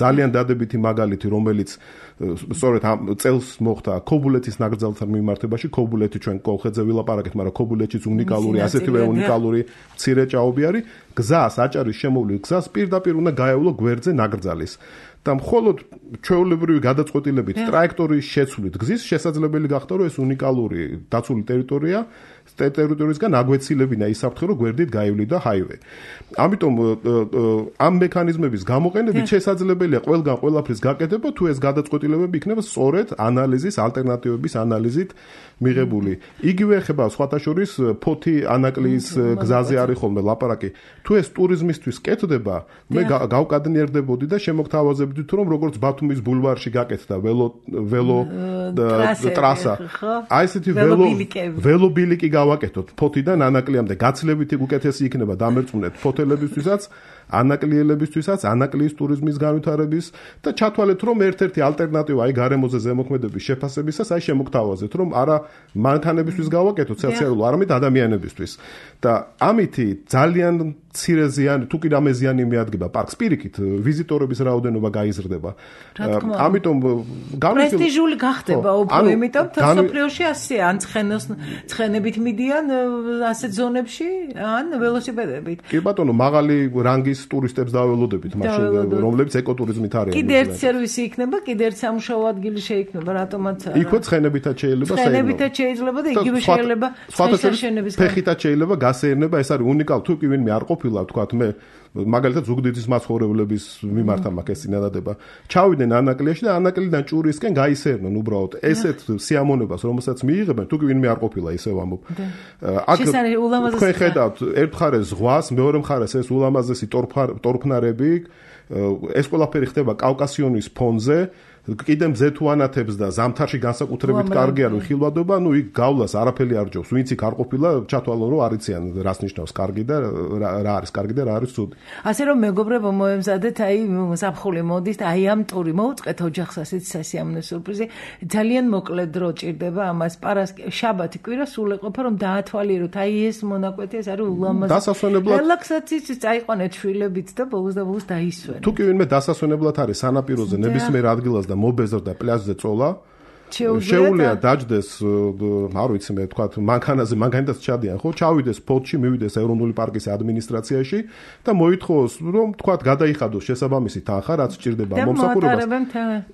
ძალიან დადებითი მაგალითი, რომელიც სწორედ ამ წელს მოხდა ქობულეთის ნაკრძალთან მიმართებაში. ქობულეთი ჩვენ კოლხეთზე ვილაპარაკეთ, მაგრამ ქობულეთშიც უნიკალური, ასეთივე უნიკალური მცირე ჭაობი არის. გზას, აჭარის შემოვლით გზას პირდაპირ უნდა გაევლო გვერდზე ნაკრძალის. და მხოლოდ ჩვეულებრივი გადაწყვეტილებით ტრაექტორის შეცვლით გზის შესაძლებელი გახდა, რომ ეს უნიკალური დაცული ტერიტორია ტერიტორიისგან აგვეცილებინა ის საფრთხე, რომ გვერდით გაივლიდა ჰაივე. ამიტომ ამ მექანიზმების გამოყენებით შესაძლებელია ყველგან ყველაფრის გაკეთება, თუ ეს გადაწყვეტილებები იქნება სწორედ ანალიზის, ალტერნატივების ანალიზით მიღებული. იგივე ეხება სხვათა შორის ფოთი ანაკლიის გზაზე არის ხოლმე ლაპარაკი. თუ ეს ტურიზმისთვის კეთდება, მე გავკადნიერდებოდი და შემოგთავაზებდი თუ რომ როგორც ბათუმის ბულვარში გაკეთდა ველო ველო ტრასა. აი ესეთი ველო ველობილიკი გავაკეთოთ ფოთიდან ანაკლიამდე. გაცლებითი უკეთესი იქნება დამერწმუნეთ ფოთელებისთვისაც, ანაკლიელებისთვისაც, ანაკლიის ტურიზმის განვითარების და ჩათვალეთ რომ ერთ-ერთი ალტერნატივა აი გარემოზე ზემოქმედების შეფასებისას აი შემოგთავაზეთ რომ არა მანქანებისთვის გავაკეთოთ სოციალურ, არამედ ადამიანებისთვის. და ამითი ძალიან მცირე ზიანი, თუ კი რამე ზიანი მიადგება პარკს, პირიქით ვიზიტორების რაოდენობა გაიზრდება. ამიტომ პრესტიჟული გახდება უფრო, იმიტომ მსოფლიოში ასეა, ან ცხენოს ცხენებით მიდიან ასეთ ზონებში, ან ველოსიპედებით. კი ბატონო, მაღალი რანგის ტურისტებს დაველოდებით მაშინ, რომლებიც ეკოტურიზმით არიან. კიდე ერთ სერვისი იქნება, კიდე ერთ სამუშაო ადგილი შეიქმნება, რატომაც არა. იქვე ცხენებითაც შეიძლება, ცხენებითაც შეიძლება და იგივე შეიძლება ცხენშენების ფეხითაც შეიძლება გასეირნება, ეს არის უნიკალური, თუ კი ვინმე არ ყოფილა, თქვათ მე მაგალითად ზუგდიდის მაცხოვრებლების მიმართა მაქვს ეს წინადადება. ჩავიდნენ ანაკლიაში და ანაკლიდან ჭურისკენ გაისერნენ უბრალოდ. ესეთ სიამონებას, რომელსაც მიიღებენ, თუ კი ვინმე არ ყოფილა, ისევ ამბობ. აქ თქვენ ხედავთ, ერთ მხარეს ზღვას, მეორე მხარეს ეს ულამაზესი ტორფნარები, ეს ყველაფერი ხდება კავკასიონის ფონზე. კიდემ ზეთუანათებს და ზამთარში განსაკუთრებით კარგია რომ ხილვადობა, ნუ იქ გავლას არაფერი არ ჯობს. ვინც იქ არ ყოფილა, ჩათვალო რომ არიციან რას ნიშნავს კარგი და რა არის კარგი და რა არის ცუდი. ასე რომ მეგობრებო, მოემზადეთ, აი ზაფხული მოდის და აი ამ ტური მოუწყეთ ოჯახს ასეთ სასიამოვნო სურპრიზი. ძალიან მოკლე დრო ჭირდება ამას. პარასკევ, შაბათი, კვირა სულ ეყოფა რომ დაათვალიეროთ. აი ეს მონაკვეთი ეს არის ულამაზი. დასასვენებლად რელაქსაციის წაიყვანეთ შვილებით და ბოლოს და ბოლოს დაისვენეთ. თუ კი ვინმე დასასვენებლად არის სანაპიროზე ნებისმიერ ადგილას და მობეზრ და პლაჟზე წოლა, შეუძლია დაждდეს, არ ვიცი მე თქვა, მანქანაზე, მანქანითაც ჩადიან, ხო, ჩავიდეს ფოთში, მივიდეს ეროვნული პარკის ადმინისტრაციაში და მოითხოვოს, რომ თქვა, გადაიხადოს შესაბამისი თანხა, რაც სჭირდება მომსახურებას.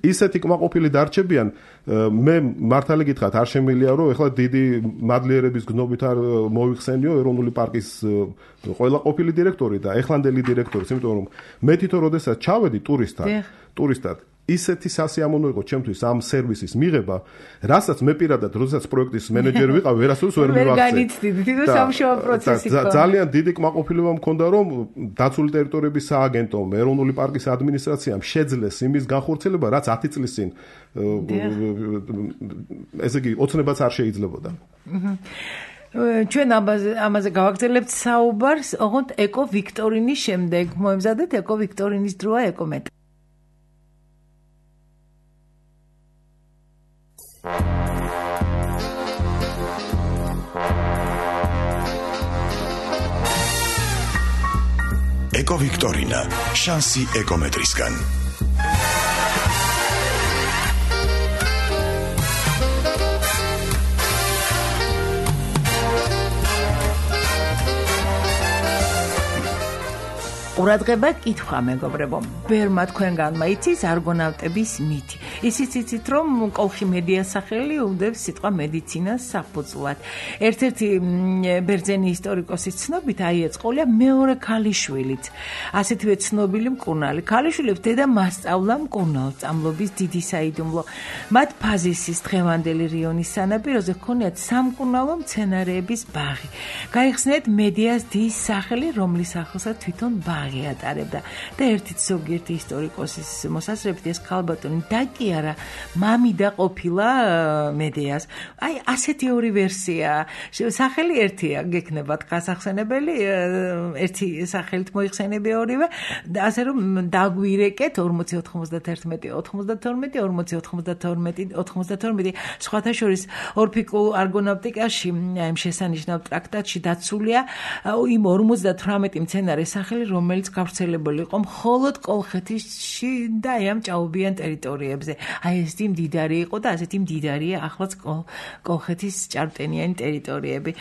ისეთი კმაყოფილი დარჩებიან, მე მართალი გითხრათ, არ შემიძლია, რომ ეხლა დიდი მადლიერების გნობით არ მოიხსენიო ეროვნული პარკის ყველა ყოფილი დირექტორი და ეხლანდელი დირექტორიც, იმიტომ რომ მე თვითონ როდესაც ჩავედი ტურისტად, ტურისტად ისეთი სასიამოვნო იყო ჩემთვის ამ სერვისის მიღება, რასაც მე პირადად, როდესაც პროექტის მენეჯერი ვიყავ, ვერასდროს ვერ მივახცე. ძალიან დიდი კმაყოფილება მქონდა, რომ დაცული ტერიტორიების სააგენტომ, ეროვნული პარკის ადმინისტრაციამ შეძლეს იმის განხორციელება, რაც ათი წლის წინ ესე იგი ოცნებაც არ შეიძლებოდა. ჩვენ ამაზე გავაგრძელებთ საუბარს, ოღონდ ეკო ვიქტორინის შემდეგ. მოემზადეთ ეკო ვიქტორინის დროა ეკომეტ. ეკო ვიქტორინა, შანსი ეკომეტრისგან. ყურადღება კითხვა მეგობრებო, ბერმა თქვენგანმა იცის არგონავტების მითი. ისიც იცით რომ კოლხი მედია სახელი უდევს სიტყვა მედიცინას საფუძვლად. ერთ-ერთი ბერძენი ისტორიკოსის ცნობით აიეწყოლია მეორე ქალიშვილით. ასეთივე ცნობილი მკურნალი. ქალიშვილებს დედა მასწავლა მკურნალ სწავლობის დიდი საიდუმლო. მათ ფაზისის დღევანდელი რიონის სანაპიროზე ჰქონიათ სამკურნალო მცენარეების ბაღი. გაიხსნიათ მედიას დის სახელი, რომლის სახელსაც თვითონ ბაღი ატარებდა და ერთით ზოგიერთი ისტორიკოსის მოსაზრებით ეს ქალბატონი დაკი არა, მამიდა ყოფილა მედეას. აი, ასეთი ორი ვერსია. სახელი ერთია, გექნებათ გასახსენებელი, ერთი სახელით მოიხსენები ორივე, ასე რომ დაგვირეკეთ ორმოცი ოთხმოცდათერთმეტი ოთხმოცდათორმეტი ორმოცი ოთხმოცდათორმეტი ოთხმოცდათორმეტი სხვათა შორის ორფიკულ არგონავტიკაში ამ შესანიშნავ ტრაქტატში დაცულია იმ ორმოცდათვრამეტი მცენარის სახელი, რომელიც გავრცელებული იყო მხოლოდ კოლხეთში და ამ ჭაობიან ტერიტორიებზე. აი ესეთი მდიდარი იყო და ასეთი მდიდარია ახლაც კოლხეთის ჭარბტენიანი ტერიტორიები.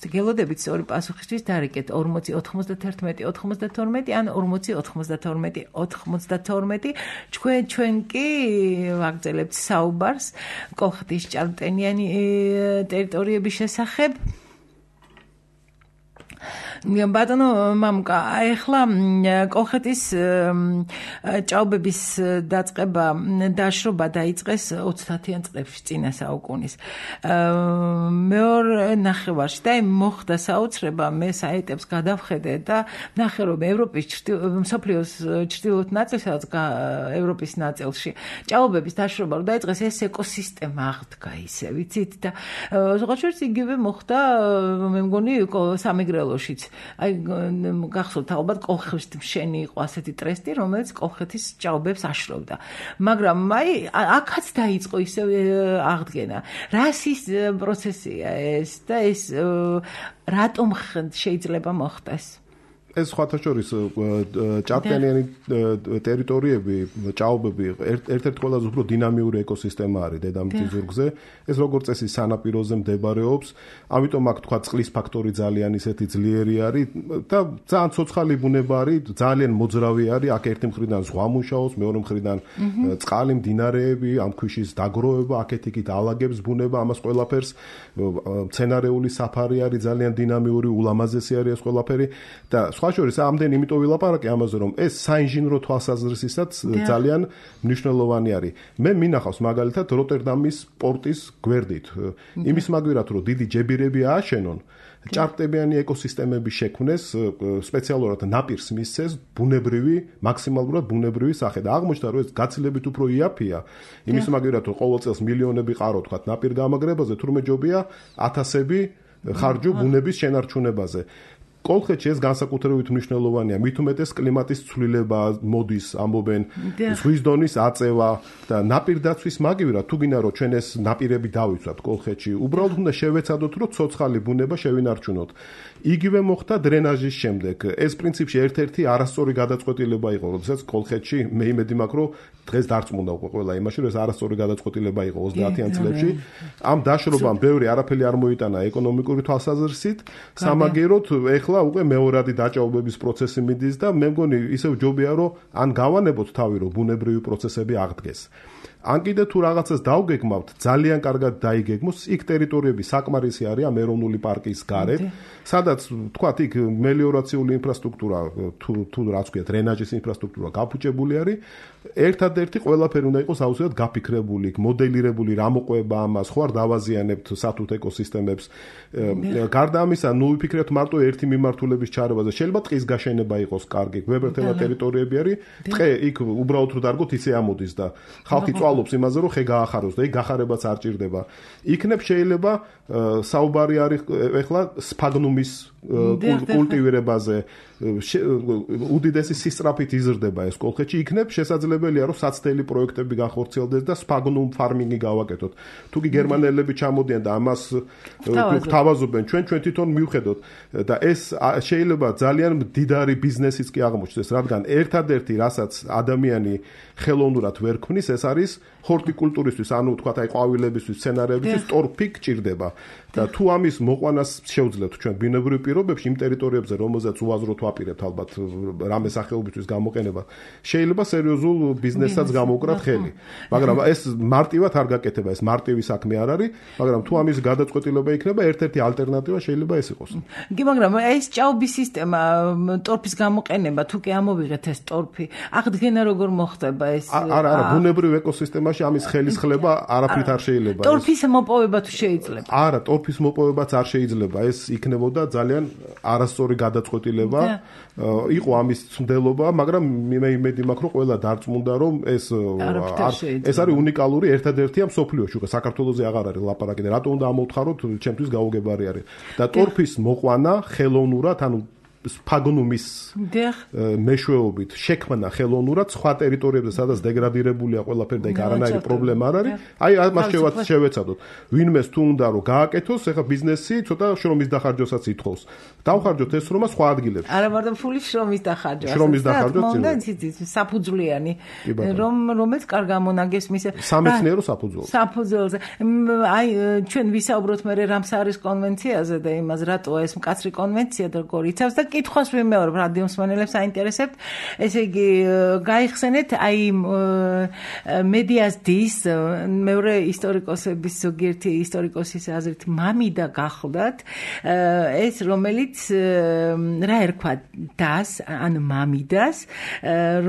გელოდებით სწორი პასუხისთვის დარეკეთ ორმოცი ოთხმოცდათერთმეტი ოთხმოცდათორმეტი ან ორმოცი ოთხმოცდათორმეტი ოთხმოცდათორმეტი. ჩვენ ჩვენ კი ვაგრძელებთ საუბარს კოლხეთის ჭარბტენიანი ტერიტორიების შესახებ. ბატონო მამუკა, ახლა კოლხეთის ჭაობების დაწყება დაშრობა დაიწყეს ოცდაათიან წლებში წინა საუკუნის მეორე ნახევარში და მოხდა საოცრება, მე საიტებს გადავხედე და ნახე რომ ევროპის მსოფლიოს ჩრდილოეთ ნაწილსა და ევროპის ნაწილში ჭაობების დაშრობა რომ დაიწყეს, ეს ეკოსისტემა აღდგა ისე, ვიცით და ზოგადად იგივე მოხდა მე მგონი სამეგრელოშიც. აი გახსოვთ ალბათ კოლხეთის მშენი იყო ასეთი ტრესტი, რომელიც კოლხეთის ჭაობებს აშრობდა. მაგრამ აი აქაც დაიწყო ისე აღდგენა. რასის პროცესია ეს და ეს რატომ შეიძლება მოხდეს? ეს სხვათა შორის ჭარბტენიანი ტერიტორიები, ჭაობები ერთ-ერთი ყველაზე უფრო დინამიური ეკოსისტემა არის დედამიწის ზურგზე. ეს როგორც წესი სანაპიროზე მდებარეობს, ამიტომ აქ თქვა წყლის ფაქტორი ძალიან ისეთი ძლიერი არის და ძალიან ცოცხალი ბუნება არის, ძალიან მოძრავი არის. აქ ერთი მხრიდან ზღვა მუშაობს, მეორე მხრიდან წყალი, მდინარეები, ამ ქვიშის დაგროვება, აქეთ-იქით ალაგებს ბუნება, ამას ყველაფერს მცენარეული საფარი არის, ძალიან დინამიური, ულამაზესი არის ეს ყველაფერი და სხვა შორის ამდენ იმიტომ ვილაპარაკე ამაზე, რომ ეს საინჟინრო თვალსაზრისითაც ძალიან მნიშვნელოვანი არის. მე მინახავს მაგალითად როტერდამის პორტის გვერდით. იმის მაგვირად რომ დიდი ჯებირები ააშენონ, ჭარბტენიანი ეკოსისტემები შექმნეს, სპეციალურად ნაპირს მისცეს ბუნებრივი, მაქსიმალურად ბუნებრივი სახე და აღმოჩნდა რომ ეს გაცილებით უფრო იაფია. იმის მაგვირად რომ ყოველ წელს მილიონები ყარო თქვა ნაპირ გამაგრებაზე, თურმე ჯობია ათასები ხარჯო ბუნების შენარჩუნებაზე. კოლხეთში ეს განსაკუთრებით მნიშვნელოვანია, მით უმეტეს კლიმატის ცვლილება მოდის, ამბობენ, ზღვის დონის აწევა და ნაპირდაცვის მაგივრად, თუ გინდა რომ ჩვენ ეს ნაპირები დავიცვათ კოლხეთში, უბრალოდ უნდა შევეცადოთ, რომ ცოცხალი ბუნება შევინარჩუნოთ. იგივე მოხდა დრენაჟის შემდეგ. ეს პრინციპში ერთ-ერთი არასწორი გადაწყვეტილება იყო, როდესაც კოლხეთში მე იმედი მაქვს, რომ დღეს დარწმუნდა უკვე ყველა იმაში, რომ ეს არასწორი გადაწყვეტილება იყო ოცდაათიან წლებში. ამ დაშრობამ ბევრი არაფერი არ მოიტანა ეკონომიკური თვალსაზრისით, სამაგეროდ ეხლა უკვე მეორადი დაჭაობების პროცესი მიდის და მე მგონი ისევ ჯობია რომ ან გავანებოთ თავი რომ ბუნებრივი პროცესები აღდგეს. ან კიდე თუ რაღაცას დავგეგმავთ, ძალიან კარგად დაიგეგმოს, იქ ტერიტორიები საკმარისი არის ამ ეროვნული პარკის გარეთ, სადაც თქვათ იქ მელიორაციული ინფრასტრუქტურა თუ თუ რაც ქვია, დრენაჟის ინფრასტრუქტურა გაფუჭებული არის. ერთადერთი ყველაფერი უნდა იყოს აუცილებლად გაფიქრებული, მოდელირებული, რა მოყვება ამას, ხო არ დავაზიანებთ სათუთ ეკოსისტემებს. გარდა ამისა, ნუ ვიფიქრეთ მარტო ერთი მიმართულების ჩარევაზე. შეიძლება ტყის გაშენება იყოს კარგი, გვებერთელა ტერიტორიები არის, ტყე იქ უბრალოდ რო დარგოთ ისე ამოდის და ხალხი წვალობს იმაზე, რომ ხე გაახაროს და იქ გახარებაც არ ჭირდება. იქნებ შეიძლება საუბარი არის ეხლა სფაგნუმის კულტივირებაზე, უდიდესი სისწრაფით იზრდება ეს კოლხეთში, იქნებ შესაძლებელია რომ საცდელი პროექტები განხორციელდეს და სფაგნუმ ფარმინგი გავაკეთოთ. თუ კი გერმანელები ჩამოდიან და ამას გვთავაზობენ, ჩვენ ჩვენ თვითონ მივხედოთ და ეს შეიძლება ძალიან მდიდარი ბიზნესიც კი აღმოჩნდეს, რადგან ერთადერთი რასაც ადამიანი ხელოვნურად ვერ ქმნის, ეს არის ჰორტიკულტურისთვის, ანუ თქვათ აი ყვავილებისთვის, სცენარებისთვის ტორფი გჭირდება. და თუ ამის მოყვანას შეუძლებთ ჩვენ ბუნებრივ პირობებში იმ ტერიტორიებზე, რომელზეც უაზროდ ვაპირებთ ალბათ რამე სახეობისთვის გამოყენება, შეიძლება სერიოზულ ბიზნესსაც გამოვკრათ ხელი. მაგრამ ეს მარტივად არ გაკეთება, ეს მარტივი საქმე არ არის, მაგრამ თუ ამის გადაწყვეტილება იქნება, ერთ-ერთი ალტერნატივა შეიძლება ეს იყოს. კი, მაგრამ ეს ჭაობის სისტემა, ტორფის გამოყენება, თუ კი ამოვიღეთ ეს ტორფი, აღდგენა როგორ მოხდება ეს? არა, არა, ბუნებრივ ეკოსისტემას ეკოსისტემაში ამის ხელისხლება არაფრით არ შეიძლება. ტორფის მოპოვება თუ შეიძლება? არა, ტორფის მოპოვებაც არ შეიძლება. ეს იქნებოდა ძალიან არასწორი გადაწყვეტილება. იყო ამის ცდელობა, მაგრამ მე იმედი მაქვს, რომ ყველა დარწმუნდა, რომ ეს ეს არის უნიკალური ერთადერთია მსოფლიოში. უკვე საქართველოზე აღარ არის ლაპარაკი და რატომ უნდა ამოვთხაროთ, ჩემთვის გაუგებარი არის. და ტორფის მოყვანა ხელოვნურად, ანუ სფაგნუმის მეშვეობით შექმნა ხელოვნურად სხვა ტერიტორიებზე, სადაც დეგრადირებულია ყველაფერი და იქ არანაირი პრობლემა არ არის. აი მას შევეცადოთ. ვინმეს თუ უნდა რომ გააკეთოს, ეხა ბიზნესი ცოტა შრომის დახარჯვასაც ითხოვს. დავხარჯოთ ეს შრომა სხვა ადგილებში. არა მარტო ფულის შრომის დახარჯვა. შრომის დახარჯვა საფუძვლიანი, რომ რომელიც კარგ ამონაგეს მის სამეცნიერო საფუძველზე. საფუძველზე. აი ჩვენ ვისაუბროთ მე რამსარის კონვენციაზე და იმას რატოა ეს მკაცრი კონვენცია და როგორ იცავს და კითხვას ვიმეორებ რადიოს მსმენელებს აინტერესებთ. ესე იგი გაიხსენეთ აი მედიას დის მეორე ისტორიკოსების ზოგიერთი ისტორიკოსის აზრით მამიდა გახლდათ ეს რომელიც რა ერქვა დას ან მამიდას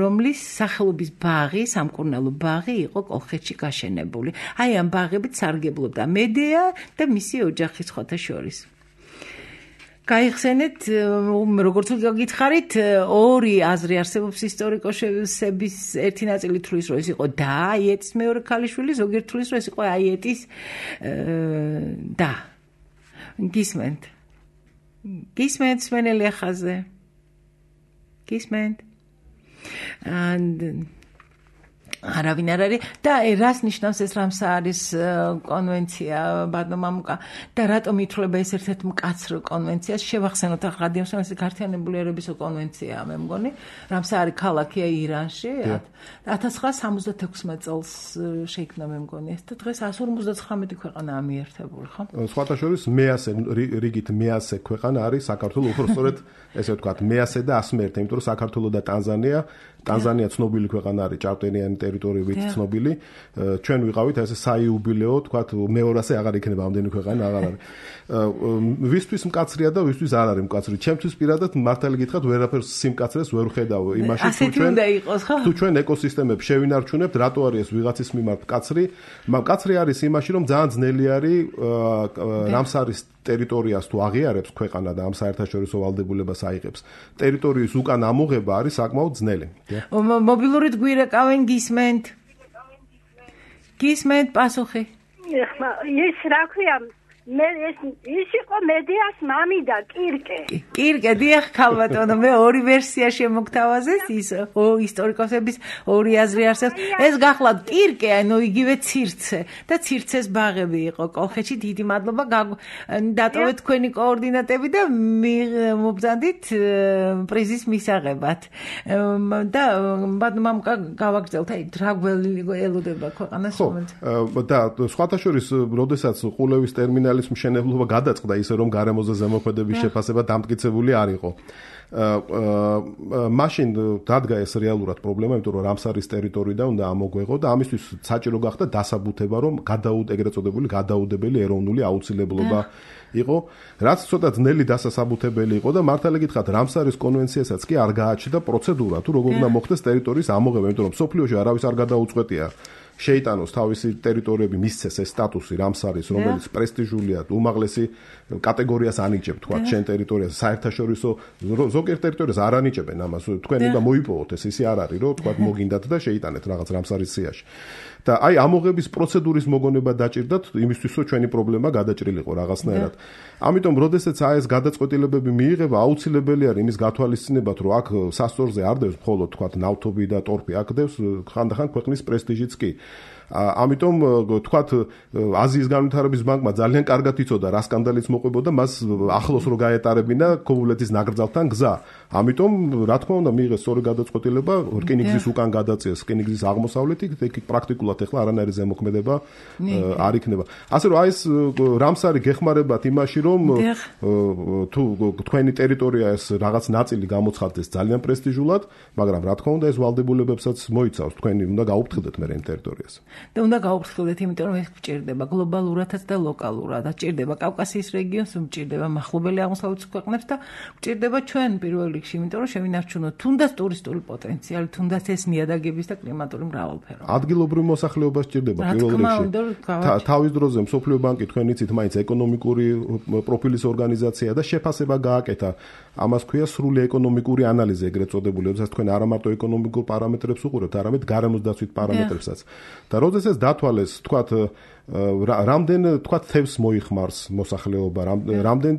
რომლის სახელობის ბაღი სამკურნალო ბაღი იყო კოლხეთში გაშენებული. აი ამ ბაღებით სარგებლობდა მედია და მისი ოჯახი სხვათა შორის. გაიხსენეთ როგორც გითხარით ორი აზრი არსებობს ისტორიკოსების ერთი ნაწილი თვლის რომ ეს იყო და აიეტის მეორე ქალიშვილი ზოგიერთ თვლის რომ ეს იყო აიეტის და გისმენთ გისმენთ სმენელი ახაზე გისმენთ and არავინ არ არის და რას ნიშნავს ეს რამსარის კონვენცია ბატონო მამუკა და რატომ ითვლება ეს ერთ-ერთ მკაცრ კონვენციას შევახსენოთ ახლა რადიოს ეს გაერთიანებული ერების კონვენციაა მე მგონი რამსარი ქალაქია ირანში ათას ცხრაასა სამოცდათექვსმეტ წელს შეიქმნა მე მგონი ეს და დღეს εκατს ორმოცდაცხრამეტი ქვეყანაა მიერთებული ხო სხვათა შორის მეასე რიგით მეასე ქვეყანა არის საქართველო უფრო სწორედ ესე ვთქვათ მეასე და ასმერტე იმიტომ რომ საქართველო და ტანზანია ტანზანია ცნობილი ქვეყანა არის ჭარბტენიანი ტერიტორიებით ცნობილი ჩვენ ვიყავით ესე საიუბილეო თქვათ მეორასე აღარ იქნება ამდენი ქვეყანა აღარ არის ვისთვის მკაცრია და ვისთვის არ არის მკაცრი ჩემთვის პირადად მართალი გითხრათ ვერაფერს სიმკაცრეს ვერ ხედავ იმაში თუ ჩვენ თუ ჩვენ ეკოსისტემებს შევინარჩუნებთ რატო არის ეს ვიღაცის მიმართ მკაცრი მკაცრი არის იმაში რომ ძალიან ძნელი არის რამსარის ტერიტორიას თუ აღიარებს ქვეყანა და ამ საერთაშორისო ვალდებულებას აიღებს ტერიტორიის უკან ამოღება არის საკმაოდ ძნელი მობილურით გვირეკავენ გისმენთ გისმენთ პასუხი ეხლა ის რა ქვია მე ეს ის იყო მედიას მამიდა კირკე კირკე დიახ ქალბატონო მე ორი ვერსია შემოგთავაზეს ის ო ისტორიკოსების ორი აზრი არსებობს ეს გახლავთ კირკე ანუ იგივე ცირცე და ცირცეს ბაღები იყო კოლხეთში დიდი მადლობა დატოვეთ თქვენი კოორდინატები და მობრძანდით პრიზის მისაღებად და ბატონო გავაგრძელთ აი რა გველოდება ქვეყანას ხო და სხვათა შორის როდესაც ყულევის ტერმინალი ის მშენებლობა გადაწყდა ისე რომ გარემოზე ზემოქმედების შეფასება დამტკიცებული არ იყო. მაშინ დადგა ეს რეალურად პრობლემა, იმიტომ რომ რამსარის ტერიტორიიდან უნდა ამოგვეღო და ამისთვის საჭირო გახდა დასაბუთება, რომ გადაუდ ეგრეთ წოდებული გადაუდებელი ეროვნული აუცილებლობა იყო, რაც ცოტა ძნელი დასასაბუთებელი იყო და მართალი გითხრათ, რამსარის კონვენციასაც კი არ გააჩნდა პროცედურა, თუ როგორ უნდა მოხდეს ტერიტორიის ამოღება, იმიტომ რომ სოფლიოში არავის არ გადაუწყვეტია. შეიტანოს თავისი ტერიტორიები მისცეს ეს სტატუსი რამსარის რომელიც პრესტიჟულია უმაღლესი კატეგორიას ანიჭებ თქვა შენ ტერიტორიაზე საერთაშორისო ზოგიერთ ტერიტორიას არ ანიჭებენ ამას თქვენ უნდა მოიპოვოთ ეს ისე არ არის რომ თქვა მოგინდათ და შეიტანეთ რაღაც რამსარის სიაში და აი ამოღების პროცედურის მოგონება დაჭირდათ იმისთვის რომ ჩვენი პრობლემა გადაჭრილიყო რაღაცნაირად ამიტომ როდესაც აი ეს გადაწყვეტილებები მიიღება აუცილებელი არის იმის გათვალისწინებათ რომ აქ სასწორზე არ დევს მხოლოდ თქვა ნავთობი და ტორფი აქ დევს ხანდახან ქვეყნის პრესტიჟიც კი ამიტომ თქვათ აზიის განვითარების ბანკმა ძალიან კარგად იცოდა რა სკანდალიც მოყვებოდა მას ახლოს რო გაეტარებინა ქობულეთის ნაკრძალთან გზა ამიტომ რა თქმა უნდა მიიღეს სწორი გადაწყვეტილება რკინიგზის უკან გადაწიეს რკინიგზის აღმოსავლეთით იქ პრაქტიკულად ახლა არანაირი ზემოქმედება არ იქნება ასე რომ აი ეს რამსარი გეხმარებათ იმაში რომ თუ თქვენი ტერიტორია ეს რაღაც ნაწილი გამოცხადდეს ძალიან პრესტიჟულად მაგრამ რა თქმა უნდა ეს ვალდებულებებსაც მოიცავს თქვენი უნდა გაუფრთხილდეთ მე იმ ტერიტორიას და უნდა გაუფრთხილდეთ, იმიტომ რომ ეს გჭირდება გლობალურადაც და ლოკალურად. გჭირდება კავკასიის რეგიონს, გჭირდება მახლობელი აღმოსავლეთის ქვეყნებს და გჭირდება ჩვენ პირველ რიგში, იმიტომ რომ შევინარჩუნოთ თუნდაც ტურისტული პოტენციალი, თუნდაც ეს ნიადაგების და კლიმატური მრავალფეროვნება. ადგილობრივ მოსახლეობას გჭირდება პირველ რიგში. თავის დროზე მსოფლიო ბანკი თქვენ იცით, მაინც ეკონომიკური პროფილის ორგანიზაცია და შეფასება გააკეთა. ამას ქვია სრული ეკონომიკური ანალიზი, ეგრეთ წოდებული, როდესაც თქვენ არა მარტო ეკონომიკურ პარამეტრებს უყურებთ, არამედ გარემოსდაცვით პარამეტრებსაც. და როდესაც ეს დათვალეს, თქვათ, რამდენ, თქვათ, თევზს მოიხმარს მოსახლეობა, რამდენ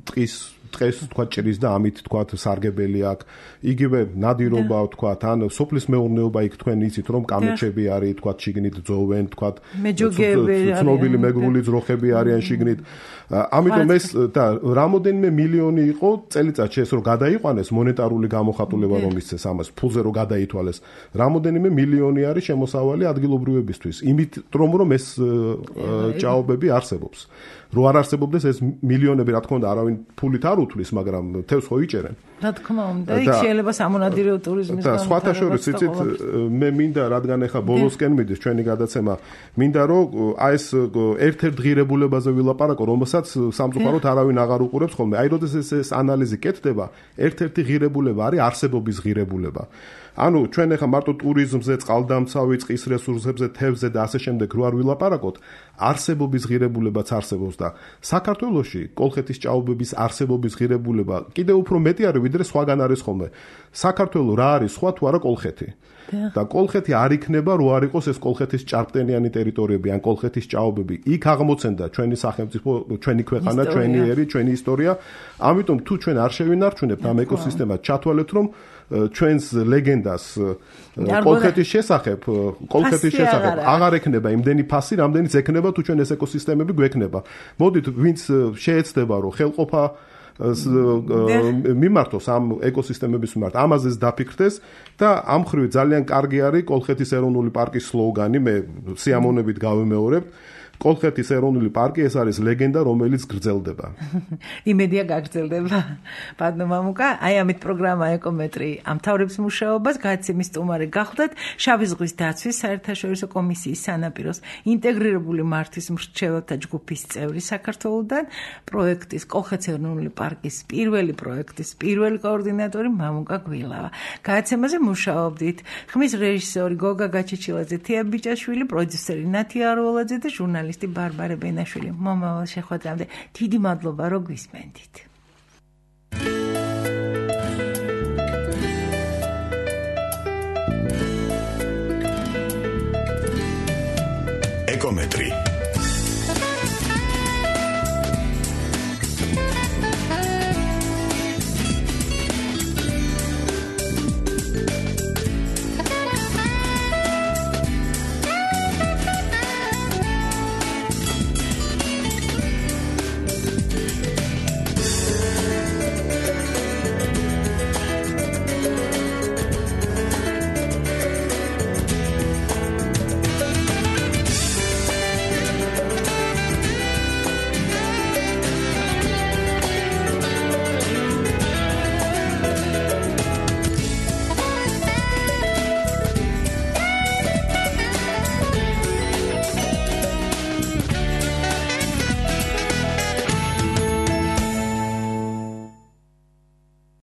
ტყის ტყეს თქვა ჭრის და ამით თქვა სარგებელი აქვს. იგივე ნადირობა თქვა ან სოფლის მეურნეობა იქ თქვენ იცით რომ კამეჩები არის თქვა შიგნით ძოვენ თქვა ცნობილი მეგრული ძროხები არიან შიგნით. ამიტომ ეს და რამოდენიმე მილიონი იყო წელიწადში ეს რომ გადაიყვანეს მონეტარული გამოხატულება რომ ისცეს ამას ფულზე რომ გადაითვალეს. რამოდენიმე მილიონი არის შემოსავალი ადგილობრივებისთვის. იმით რომ რომ ეს ჭაობები არსებობს. რო არ არსებობდეს ეს მილიონები რა თქმა უნდა არავინ ფულით არ უთვლის, მაგრამ თევზს ხო იჭერენ. რა თქმა უნდა, იქ შეიძლება სამონადირეო ტურიზმის და სხვათა შორის იცით მე მინდა რადგან ახლა ბოლოსკენ მიდის ჩვენი გადაცემა, მინდა რომ აი ეს ერთ-ერთ ღირებულებაზე ვილაპარაკო, რომელსაც სამწუხაროდ არავინ აღარ უყურებს ხოლმე. აი როდესაც ეს ანალიზი კეთდება, ერთ-ერთი ღირებულება არის არსებობის ღირებულება. ანუ ჩვენ ახლა მარტო ტურიზმზე, წყალდამცავი, წყის რესურსებზე, თევზზე და ასე შემდეგ რო არ ვილაპარაკოთ, არსებობის ღირებულებაც არსებობს და საქართველოში კოლხეთის ჭაობების არსებობის ღირებულება კიდევ უფრო მეტი არის ვიდრე სხვაგან არის ხოლმე. საქართველო რა არის სხვა თუ არა კოლხეთი. და კოლხეთი არ იქნება რო არ იყოს ეს კოლხეთის ჭარბტენიანი ტერიტორიები ან კოლხეთის ჭაობები. იქ აღმოცენდა ჩვენი სახელმწიფო, ჩვენი ქვეყანა, ჩვენი ერი, ჩვენი ისტორია. ამიტომ თუ ჩვენ არ შევინარჩუნებთ ამ ეკოსისტემას, ჩათვალეთ რომ ჩვენს ლეგენდას კოლხეთის შესახებ, კოლხეთის შესახებ აღარ ექნება იმდენი ფასი, რამდენიც ექნება თუ ჩვენ ეს ეკოსისტემები გვექნება. მოდით, ვინც შეეცდება რომ ხელყოფა მიმართოს ამ ეკოსისტემების მიმართ, ამაზე დაფიქრდეს და ამ ხრივ ძალიან კარგი არის კოლხეთის ეროვნული პარკის სლოგანი, მე სიამოვნებით გავიმეორებ. კოლხეთის ეროვნული პარკი ეს არის ლეგენდა, რომელიც გრძელდება. იმედია გაგრძელდება. ბატონო მამუკა, აი ამით პროგრამა ეკომეტრი ამთავრებს მუშაობას, გადაცემის სტუმარი გახლდათ შავი ზღვის დაცვის საერთაშორისო კომისიის სანაპიროს ინტეგრირებული მართვის მრჩეველთა ჯგუფის წევრი საქართველოდან, პროექტის კოლხეთის ეროვნული პარკის პირველი პროექტის პირველი კოორდინატორი მამუკა გვილავა. გადაცემაზე მუშაობდით ხმის რეჟისორი გოგა გაჩეჩილაძე, თია ბიჭაშვილი, პროდიუსერი ნათია აროველაძე და ჟურნალისტი ბარბარე ბენაშვილი. მომავალ შეხვედრამდე დიდი მადლობა რომ გვისმენდით. ეკომეტრი